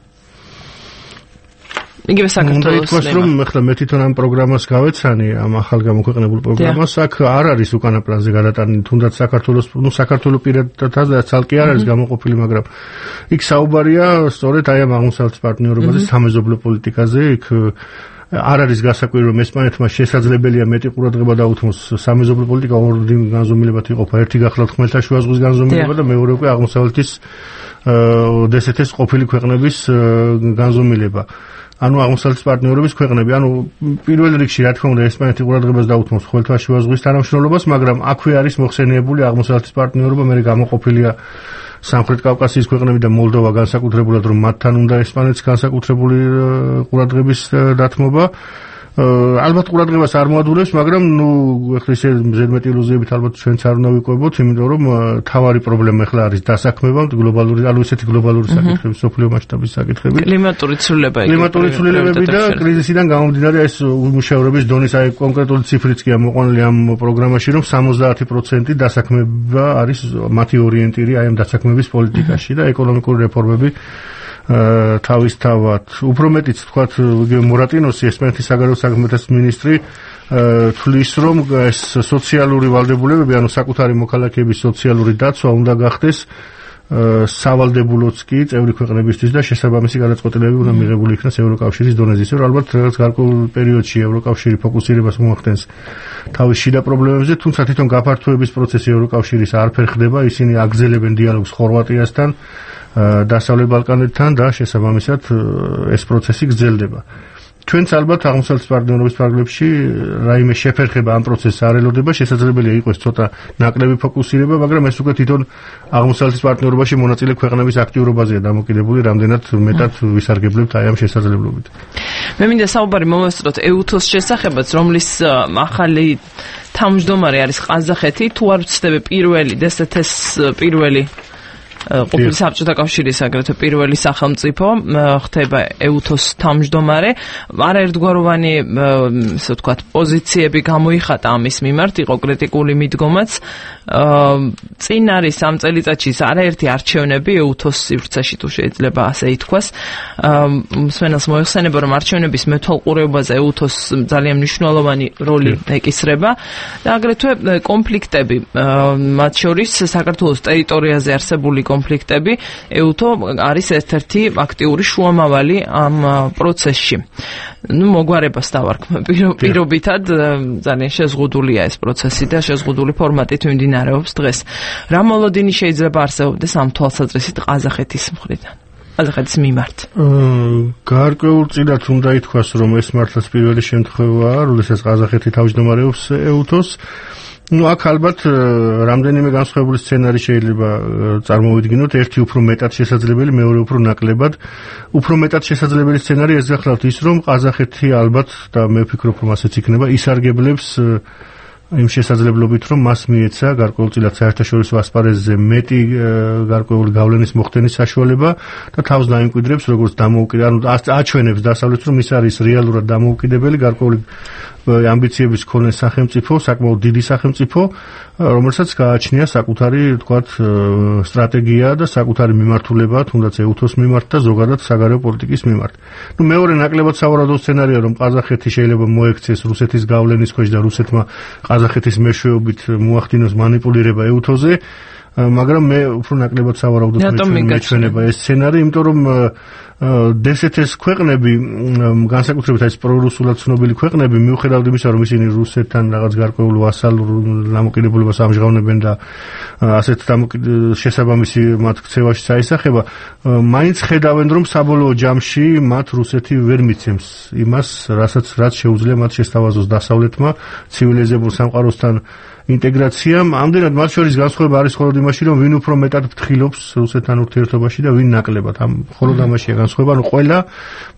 იგივე საქართველოს რომ ახლა მე თვითონ ამ პროგრამას გავეცანი, ამ ახალ გამოქვეყნებულ პროგრამას, აქ არ არის უკანა პლანზე გადატანილი, თუნდაც საქართველოს, საქართველოს პირადადაც ცალკე არ არის გამოყოფილი, მაგრამ იქ საუბარია სწორედ აი ამ აღმოსავლეთის პარტნიორობაზე, სამეზობლო პოლიტიკაზე, იქ არ არის გასაკვირი რომ ესპანეთმა შესაძლებელია მეტი ყურადღება დაუთმოს სამეზობლო პოლიტიკა ორ განზომილებად იყოფა ერთი გახლავთ ხმელთაშუა ზღვის განზომილება და მეორე უკვე აღმოსავლეთის დსთ-ის ყოფილი ქვეყნების განზომილება ანუ აღმოსავლეთის პარტნიორობის ქვეყნები ანუ პირველ რიგში რა თქმა უნდა ესპანეთი ყურადღებას დაუთმოს ხმელთაშუა ზღვის თანამშრომლობას მაგრამ აქვე არის მოხსენიებული აღმოსავლეთის პარტნიორობა მე გამოყოფილია სამხრეთ კავკასიის ქვეყნები და მოლდოვა განსაკუთრებულად რომ მათთან უნდა ესპანეთს განსაკუთრებული ყურადღების დათმობა ალბათ ყურადღებას არ მოადვილებს მაგრამ ნუ ეხლა ისე ზედმეტი ილუზიებით ალბათ ჩვენც არ უნდა ვიყვებოთ იმიტომ რომ თავარი პრობლემა ეხლა არის დასაქმება გლობალური ანუ ისეთი გლობალური საკითხები სოფლიო მასშტაბის საკითხები კლიმატური ცვლილებები და კრიზისიდან გამომდინარე ეს უმუშევრობის დონის აი კონკრეტული ციფრიც კი ამოყვანილი ამ პროგრამაში რომ 70% დასაქმება არის მათი ორიენტირი აი ამ დასაქმების პოლიტიკაში და ეკონომიკური რეფორმები თავისთავად უფრო მეტიც თქვათ მორატინოსი ესპანეთის საგარეო საქმეთა მინისტრი თვლის რომ ეს სოციალური ვალდებულებები ანუ საკუთარი მოქალაქეების სოციალური დაცვა უნდა გახდეს სავალდებულოც კი წევრი ქვეყნებისთვის და შესაბამისი გადაწყვეტილებები უნდა მიღებული იქნას ევროკავშირის დონეზე ისე რომ ალბათ რაღაც გარკვეულ პერიოდში ევროკავშირი ფოკუსირებას მოახდენს თავის შიდა პრობლემებზე თუმცა თვითონ გაფართოების პროცესი ევროკავშირის არ ფერხდება ისინი აგრძელებენ დიალოგს ხორვატიასთან დასავლეთ ბალკანეთთან და შესაბამისად ეს პროცესი გრძელდება. ჩვენც ალბათ აღმოსავლეთის პარტნიორობის ფარგლებში რაიმე შეფერხება ამ პროცესს არ ელოდება, შესაძლებელია იყოს ცოტა ნაკლები ფოკუსირება, მაგრამ ეს უკვე თვითონ აღმოსავლეთის პარტნიორობაში მონაწილე ქვეყნების აქტიურობაზეა დამოკიდებული, რამდენად მეტად ვისარგებლებთ აი ამ შესაძლებლობით. მე მინდა საუბარი მოვესწროთ EUTOS შესახებაც, რომლის ახალი თავმჯდომარე არის ყაზახეთი, თუ არ ვცდები პირველი DST-ის პირველი ყოფილი საბჭოთა კავშირის აგრეთვე პირველი სახელმწიფო ხდება EUTOS თავმჯდომარე არაერთგვაროვანი ასე ვთქვათ პოზიციები გამოიხატა ამის მიმართ იყო კრიტიკული მიდგომაც წინ არის ამ წელიწადში არაერთი არჩევნები EUTOS სივრცეში თუ შეიძლება ასე ითქვას მსმენელს მოიხსენება რომ არჩევნების მეთვალყურეობაზე EUTOS ძალიან მნიშვნელოვანი როლი ეკისრება და აგრეთვე კონფლიქტები მათ შორის საქართველოს ტერიტორიაზე არსებული კონფლიქტები EUTO არის ერთ-ერთი აქტიური შუამავალი ამ პროცესში. ნუ მოგვარებას დავარქმე პირობითად ძალიან შეზღუდულია ეს პროცესი და შეზღუდული ფორმატით მიმდინარეობს დღეს. რა მოლოდინი შეიძლება არსებობდეს ამ თვალსაზრისით ყაზახეთის მხრიდან? ყაზახეთის მიმართ. გარკვეულწილად უნდა ითქვას რომ ეს მართლაც პირველი შემთხვევაა, როდესაც ყაზახეთი თავმჯდომარეობს EUTOS ну აქ ალბათ რამდენიმე განსხვავებული სცენარი შეიძლება წარმოვიდგინოთ ერთი უფრო მეტად შესაძლებელი მეორე უფრო ნაკლებად უფრო მეტად შესაძლებელი სცენარი ეს გახლავთ ის რომ ყაზახეთი ალბათ და მე ვფიქრობ რომ ასეც იქნება ისარგებლებს იმ შესაძლებლობით რომ მას მიეცა გარკვეულწილად საერთაშორისო ასპარეზზე მეტი გარკვეული გავლენის მოხდენის საშუალება და თავს დაიმკვიდრებს როგორც დამოუკიდებელი აჩვენებს დასავლეთს რომ ის არის რეალურად დამოუკიდებელი გარკვეული ამბიციების მქონე სახელმწიფო, საკმაოდ დიდი სახელმწიფო, რომელსაც გააჩნია საკუთარი, თქვათ, სტრატეგია და საკუთარი მიმართულება, თუნდაც EUTOS მიმართ და ზოგადად საგარეო პოლიტიკის მიმართ. ნუ მეორე ნაკლებად სავარაუდო სცენარია, რომ ყაზახეთი შეიძლება მოექცეს რუსეთის გავლენის ქვეშ და რუსეთმა ყაზახეთის მეშვეობით მოახდინოს მანიპულირება EUTOS-ზე, მაგრამ მე უფრო ნაკლებად სავარაუდოდ მეჩვენება ეს სცენარი, იმიტომ რომ DST-ის ქვეყნები, განსაკუთრებით ეს პრორუსულად ცნობილი ქვეყნები, მიუხედავად იმისა, რომ ისინი რუსეთთან რაღაც გარკვეულ ვასალურ დამოკიდებულებას ამჟღავნებენ და ასეთ შესაბამისი მათ ქცევაში საისახება, მაინც ხედავენ, რომ საბოლოო ჯამში მათ რუსეთი ვერ მიცემს იმას, რაც შეუძლია მათ შესთავაზოს დასავლეთმა ცივილიზებულ სამყაროსთან ინტეგრაციამ, ამდენად მათ შორის განსხვავება არის მხოლოდ იმაში, რომ ვინ უფრო მეტად ფრთხილობს რუსეთთან ურთიერთობაში და ვინ ნაკლებად. მხოლოდ ამაშია განსხვავება, რომ ყველა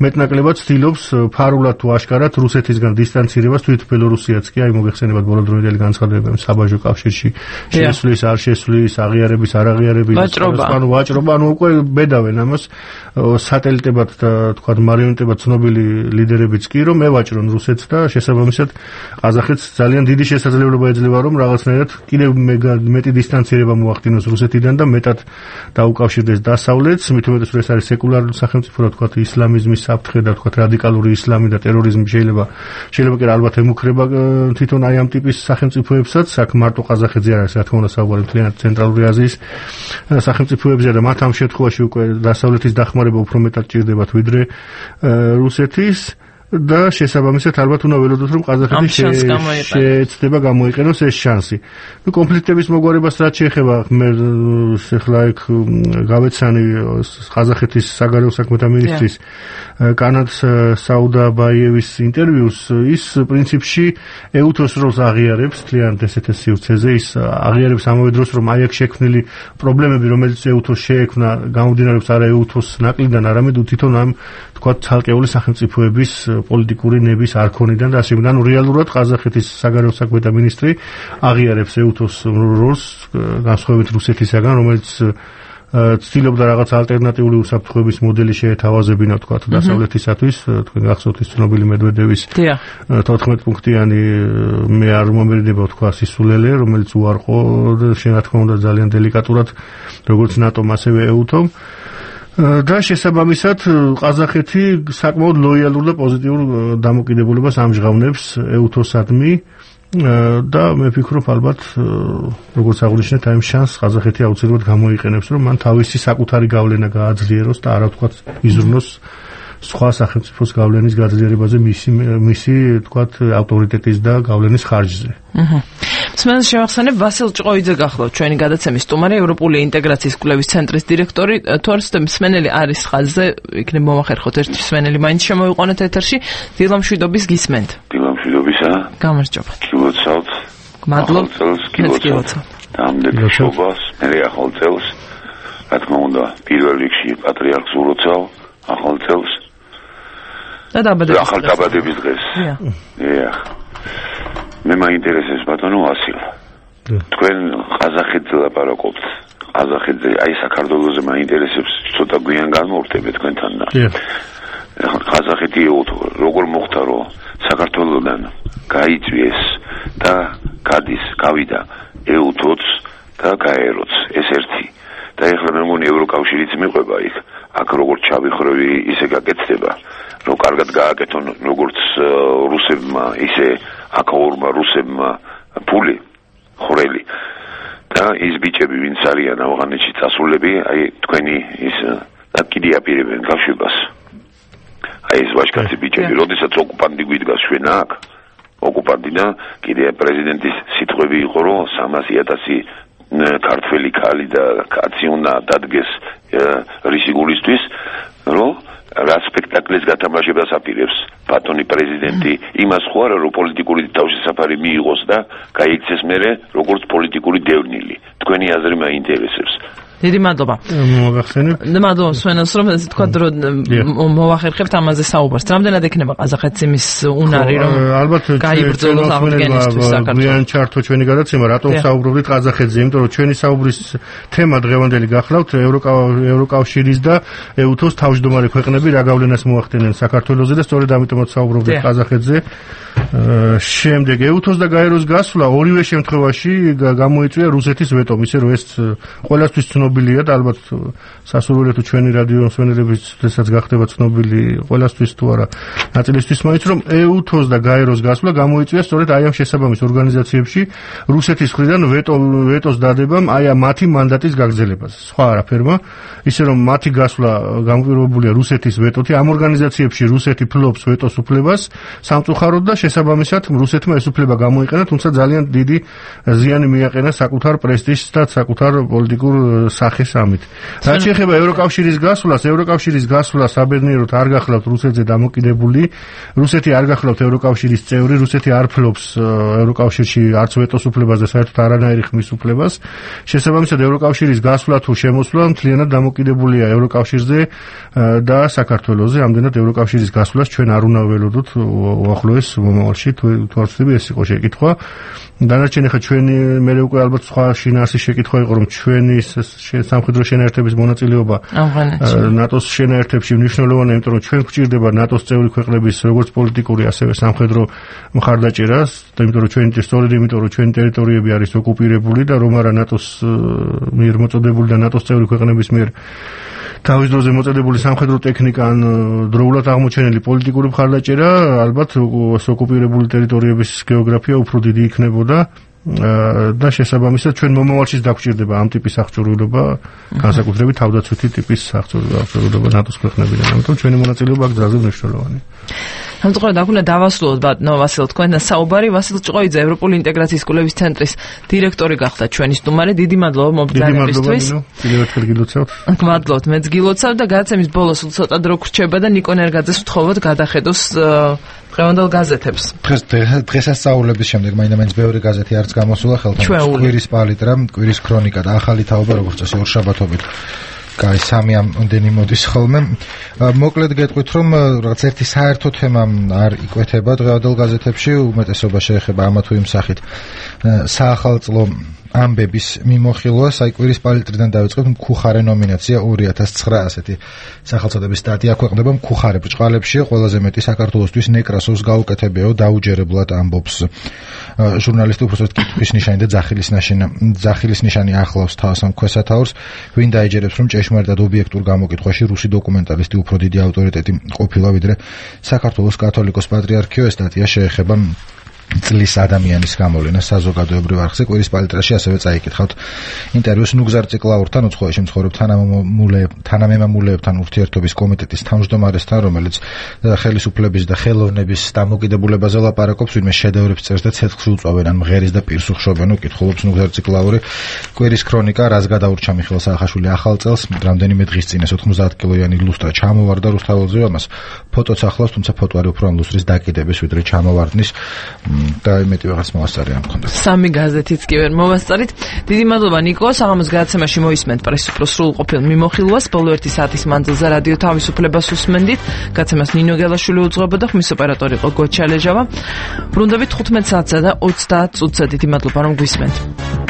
მეტნაკლებად ცდილობს ფარულად თუ აშკარად რუსეთისგან დისტანცირებას, თვით ბელორუსიაც კი, აი მოგეხსენებათ ბოლოდროინდელი განცხადებები საბაჟო კავშირში, შესვლის, არ შესვლის, აღიარების, არ აღიარების, ანუ ვაჭრობა, ანუ უკვე ბედავენ ამას სატელიტებად და თქვათ მარიონეტებად ცნობილი ლიდერებიც კი, რომ ევაჭრონ რუსეთს და შესაბამისად ყაზახეთს ძალიან დიდი შესაძლებლობა ეძლევა, რომ რაღაცნაირად კიდევ მეტი დისტანცირება მოახდინოს რუსეთიდან და მეტად დაუკავშირდეს დასავლეთს, მით უმეტეს რომ ეს არის სეკულარული სახელმწიფო, რა თქვათ, ისლამიზმის საფრთხე და თქვათ რადიკალური ისლამი და ტერორიზმი შეიძლება კი ალბათ ემუქრება თვითონ აი ამ ტიპის სახელმწიფოებსაც, აქ მარტო ყაზახეთზე არ არის, რა თქმა უნდა, საუბარი მთლიანად ცენტრალური აზიის სახელმწიფოებზეა და მათ ამ შემთხვევაში უკვე დასავლეთის დახმარება უფრო მეტად ჭირდებათ ვიდრე რუსეთის. და შესაბამისად ალბათ უნდა ველოდოთ რომ ყაზახეთი შეეცდება გამოიყენოს ეს შანსი. ნუ კონფლიქტების მოგვარებას რაც შეეხება მე ახლა იქ გავეცანი ყაზახეთის საგარეო საქმეთა მინისტრის კანად საუდაბაიევის ინტერვიუს ის პრინციპში ეუთოს როლს აღიარებს თლიანად ესეთ სივრცეზე ის აღიარებს ამავე დროს რომ აი აქ შექმნილი პრობლემები რომელიც ეუთოს შეექმნა გამომდინარეობს არა ეუთოს ნაკლიდან არამედ თვითონ ამ თქვა ცალკეული სახელმწიფოების პოლიტიკური ნების არქონიდან და ასე შემდეგ. ანუ რეალურად ყაზახეთის საგარეო საქმეთა მინისტრი აღიარებს ეუთოს როლს განსხვავებით რუსეთისაგან, რომელიც ცდილობდა რაღაც ალტერნატიული უსაფრთხოების მოდელი შეეთავაზებინა თქვა დასავლეთისათვის, თქვენ გახსოვთ ის ცნობილი მედვედევის 14 პუნქტიანი მე არ მომერიდება თქვა სისულელე, რომელიც უარყო რა თქმა უნდა ძალიან დელიკატურად როგორც ნატომ ასევე ეუთომ. და შესაბამისად ყაზახეთი საკმაოდ ლოიალურ და პოზიტიურ დამოკიდებულებას ამჟღავნებს ეუთოსადმი და მე ვფიქრობ ალბათ როგორც აღნიშნეთ აი ამ შანსს ყაზახეთი აუცილებლად გამოიყენებს რომ მან თავისი საკუთარი გავლენა გააძლიეროს და არა ვთქვათ იზრუნოს სხვა სახელმწიფოს გავლენის გაძლიერებაზე მისი ვთქვათ ავტორიტეტის და გავლენის ხარჯზე. მსმენელს შევახსენებ ვასილ ჭყოიძე გახლავთ ჩვენი გადაცემის სტუმარი ევროპული ინტეგრაციის კვლევის ცენტრის დირექტორი თორს მსმენელი არის ხაზზე იქნებ მომახერხოთ ერთი მსმენელი მაინც შემოიყვანოთ ეთერში დილამშვიდობის გისმენთ დილამშვიდობისა გამარჯობა გილოცავთ მადლობთ გილოცავთ ამდენი შობას მე ახალ წელს რა თქმა უნდა პირველ რიგში პატრიარქს უროცავ ახალ წელს და დაბადების დღეს მე მაინტერესებს ბატონო ვასილ თქვენ ყაზახეთზე ლაპარაკობთ ყაზახეთზე აი საქართველოზე მაინტერესებს ცოტა გვიან განმოვხდები თქვენთან და ყაზახეთი როგორ მოხდა რომ საქართველოდან გაიწვიეს და გავიდა ეუთოც და გაეროც ეს ერთი და ეხლა მე მგონი ევროკავშირიც მიყვება იქ აქ როგორც ჩავიხრევი ისე გაკეთდება რომ კარგად გააკეთონ როგორც რუსებმა ისე აკაურმა რუსებმა ფული ხვრელი და ის ბიჭები ვინც არიან ავღანეთში წასულები აი თქვენი ის და კიდე აპირებენ გაშვებას აი ეს ვაჟკაცი ბიჭები როდესაც ოკუპანტი გვიდგას ჩვენ აქ ოკუპანტი და კიდე პრეზიდენტის სიტყვები იყო რომ 300,000 ქართველი ქალი და კაცი უნდა დადგეს რისიგულისთვის რომ რა სპექტაკლის გათამაშებას აპირებს ბატონი პრეზიდენტი იმას ხო არა რომ პოლიტიკური თავშესაფარი მიიღოს და გაიქცეს მერე როგორც პოლიტიკური დევნილი თქვენი აზრი მაინტერესებს დიდი მადლობა მოგახსენებ მადლობა სვენელს რომ ესე თქვა რომ მოვახერხებთ ამაზე საუბარს რამდენად ექნება ყაზახეთს იმის უნარი რომ ალბათ გაიბრძოლოს აღდგენისთვის საქართველოს ჩართო ჩვენი გადაცემა რატომ საუბრობთ ყაზახეთზე იმიტომ რომ ჩვენი საუბრის თემა დღევანდელი გახლავთ ევროკავშირის და ეუთოს თავმჯდომარე ქვეყნები რა გავლენას მოახდენენ საქართველოზე და სწორედ ამიტომაც საუბრობთ ყაზახეთზე შემდეგ ეუთოს და გაეროს გასვლა ორივე შემთხვევაში გამოიწვია რუსეთის ვეტომ ისე რომ ეს ყველასთვის ცნობილია და ალბათ სასურველია თუ ჩვენი რადიო მსმენელებისთვისაც გახდება ცნობილი ყველასთვის თუ არა ნაწილისთვის მაინც რომ ეუთოს და გაეროს გასვლა გამოიწვია სწორედ აი ამ შესაბამის ორგანიზაციებში რუსეთის მხრიდან ვეტოს დადებამ აი ამ მათი მანდატის გაგრძელებაზე სხვა არაფერმა ისე რომ მათი გასვლა გამკვირვებულია რუსეთის ვეტოთი ამ ორგანიზაციებში რუსეთი ფლობს ვეტოს უფლებას სამწუხაროდ და შესაბამისად რუსეთმა ეს უფლება გამოიყენა თუმცა ძალიან დიდი ზიანი მიაყენა საკუთარ პრესტიჟს და საკუთარ პოლიტიკურ სახეს ამით. რაც შეეხება ევროკავშირის გასვლას, ევროკავშირის გასვლა საბედნიეროდ არ გახლავთ რუსეთზე დამოკიდებული. რუსეთი არ გახლავთ ევროკავშირის წევრი, რუსეთი არ ფლობს ევროკავშირში არც ვეტოს უფლებას და საერთოდ არანაირი ხმის უფლებას. შესაბამისად ევროკავშირის გასვლა თუ შემოსვლა მთლიანად დამოკიდებულია ევროკავშირზე და საქართველოზე. ამდენად ევროკავშირის გასვლას ჩვენ არ უნდა ველოდოთ უახლოეს მომავალში თუ არ ვცდები ეს იყო შეკითხვა. დანარჩენი ხა ჩვენი მე უკვე ალბათ სხვა შინაარსის შეკითხვა იყო რომ ჩვენი სამხედრო შენაერთების მონაწილეობა ნატოს შენაერთებში მნიშვნელოვანია იმიტომ რომ ჩვენ გვჭირდება ნატოს წევრი ქვეყნების როგორც პოლიტიკური ასევე სამხედრო მხარდაჭერას და იმიტომ რომ ჩვენი სწორედ იმიტომ რომ ჩვენი ტერიტორიები არის ოკუპირებული და რომ არა ნატოს მიერ მოწოდებული და ნატოს წევრი ქვეყნების მიერ თავის დროზე მოწოდებული სამხედრო ტექნიკა ან დროულად აღმოჩენილი პოლიტიკური მხარდაჭერა ალბათ ოკუპირებული ტერიტორიების გეოგრაფია უფრო დიდი იქნებოდა და შესაბამისად ჩვენ მომავალშიც დაგვჭირდება ამ ტიპის აღჭურვილობა განსაკუთრებით თავდაცვითი ტიპის აღჭურვილობა ნატოს ქვეყნებიდან ამიტომ ჩვენი მონაწილეობა აქ ძალზე მნიშვნელოვანია სამწუხაროდ აქ უნდა დავასრულოთ ბატონო ვასილ თქვენთან საუბარი. ვასილ ჭყოიძე ევროპული ინტეგრაციის კვლევის ცენტრის დირექტორი გახდა ჩვენი სტუმარი. დიდი მადლობა მობრძანებისთვის. მადლობთ, მეც გილოცავ და გადაცემის ბოლოს ცოტა დრო გრჩება და ნიკო ნერგაძეს ვთხოვოთ გადახედოს დღევანდელ გაზეთებს. დღესასწაულების შემდეგ მაინდა-მაინც ბევრი გაზეთი არც გამოსულა ხელთან. კვირის პალიტრა, კვირის ქრონიკა და ახალი თაობა როგორც წესი ორშაბათობით. კაი, სამი ამდენი მოდის ხოლმე. მოკლედ გეტყვით, რომ რაღაც ერთი საერთო თემა არ იკვეთება დღევანდელ გაზეთებში, უმეტესობა შეეხება ამა თუ იმ სახით საახალწლო ამბების მიმოხილვა. საიკვირის პალიტრიდან დავიწყებთ. მქუხარე ნომინაცია 2009 ასეთი სახელწოდების სტატია ქვეყნდება მქუხარე ბრჭყალებში. ყველაზე მეტი საქართველოსთვის ნეკრასოვს გაუკეთებიაო დაუჯერებლად ამბობს ჟურნალისტი, უბრალოდ კითხვის ნიშანი და ძახილის ნიშანი ახლავს თავს ამ ქვესათაურს. ვინ დაეჯერებს, რომ ჭეშმარიტად ობიექტურ გამოკითხვაში რუსი დოკუმენტალისტი უფრო დიდი ავტორიტეტი ყოფილა ვიდრე საქართველოს კათოლიკოს პატრიარქიო. ეს სტატია შეეხება წლის ადამიანის გამოვლენა საზოგადოებრივ არხზე. კვირის პალიტრაში ასევე წაიკითხავთ ინტერვიუს ნუგზარ ციკლაურთან, უცხოეთში მცხოვრებ თანამემამულეებთან ურთიერთობის კომიტეტის თავმჯდომარესთან, რომელიც ხელისუფლების და ხელოვნების დამოკიდებულებაზე ლაპარაკობს, ვინმე შედევრებს წერს და ცეცხლს უწვავენ ან მღერის და პირს უხშობენ. კითხულობს ნუგზარ ციკლაური. კვირის ქრონიკა, რას გადაურჩა მიხეილ საახაშვილი ახალ წელს, რამდენიმე დღის წინ 90 კილოიანი ლუსტრა ჩამოვარდა რუსთაველზე. ამას ფოტოც ახლავს, თუმცა ფოტო არის უფრო ამ ლუსტრის დაკიდების ვიდრე ჩამოვარდნის და იმეთი ვიღაც მოასწარი ამ კონდა. სამი გაზეთიც კი ვერ მოვასწარით. დიდი მადლობა ნიკო. საღამოს გადაცემაში მოისმენთ პრესის სრულყოფილ მიმოხილვას. ბოლო 1 საათის მანძილზე რადიო თავისუფლებას უსმენდით. გაცემას ნინო გელაშვილი უძღვებოდა, ხმის ოპერატორი იყო გოჩა ლეჟავა. ბრუნდებით 15 საათსა და 30 წუთზე. დიდი მადლობა რომ გვისმენთ.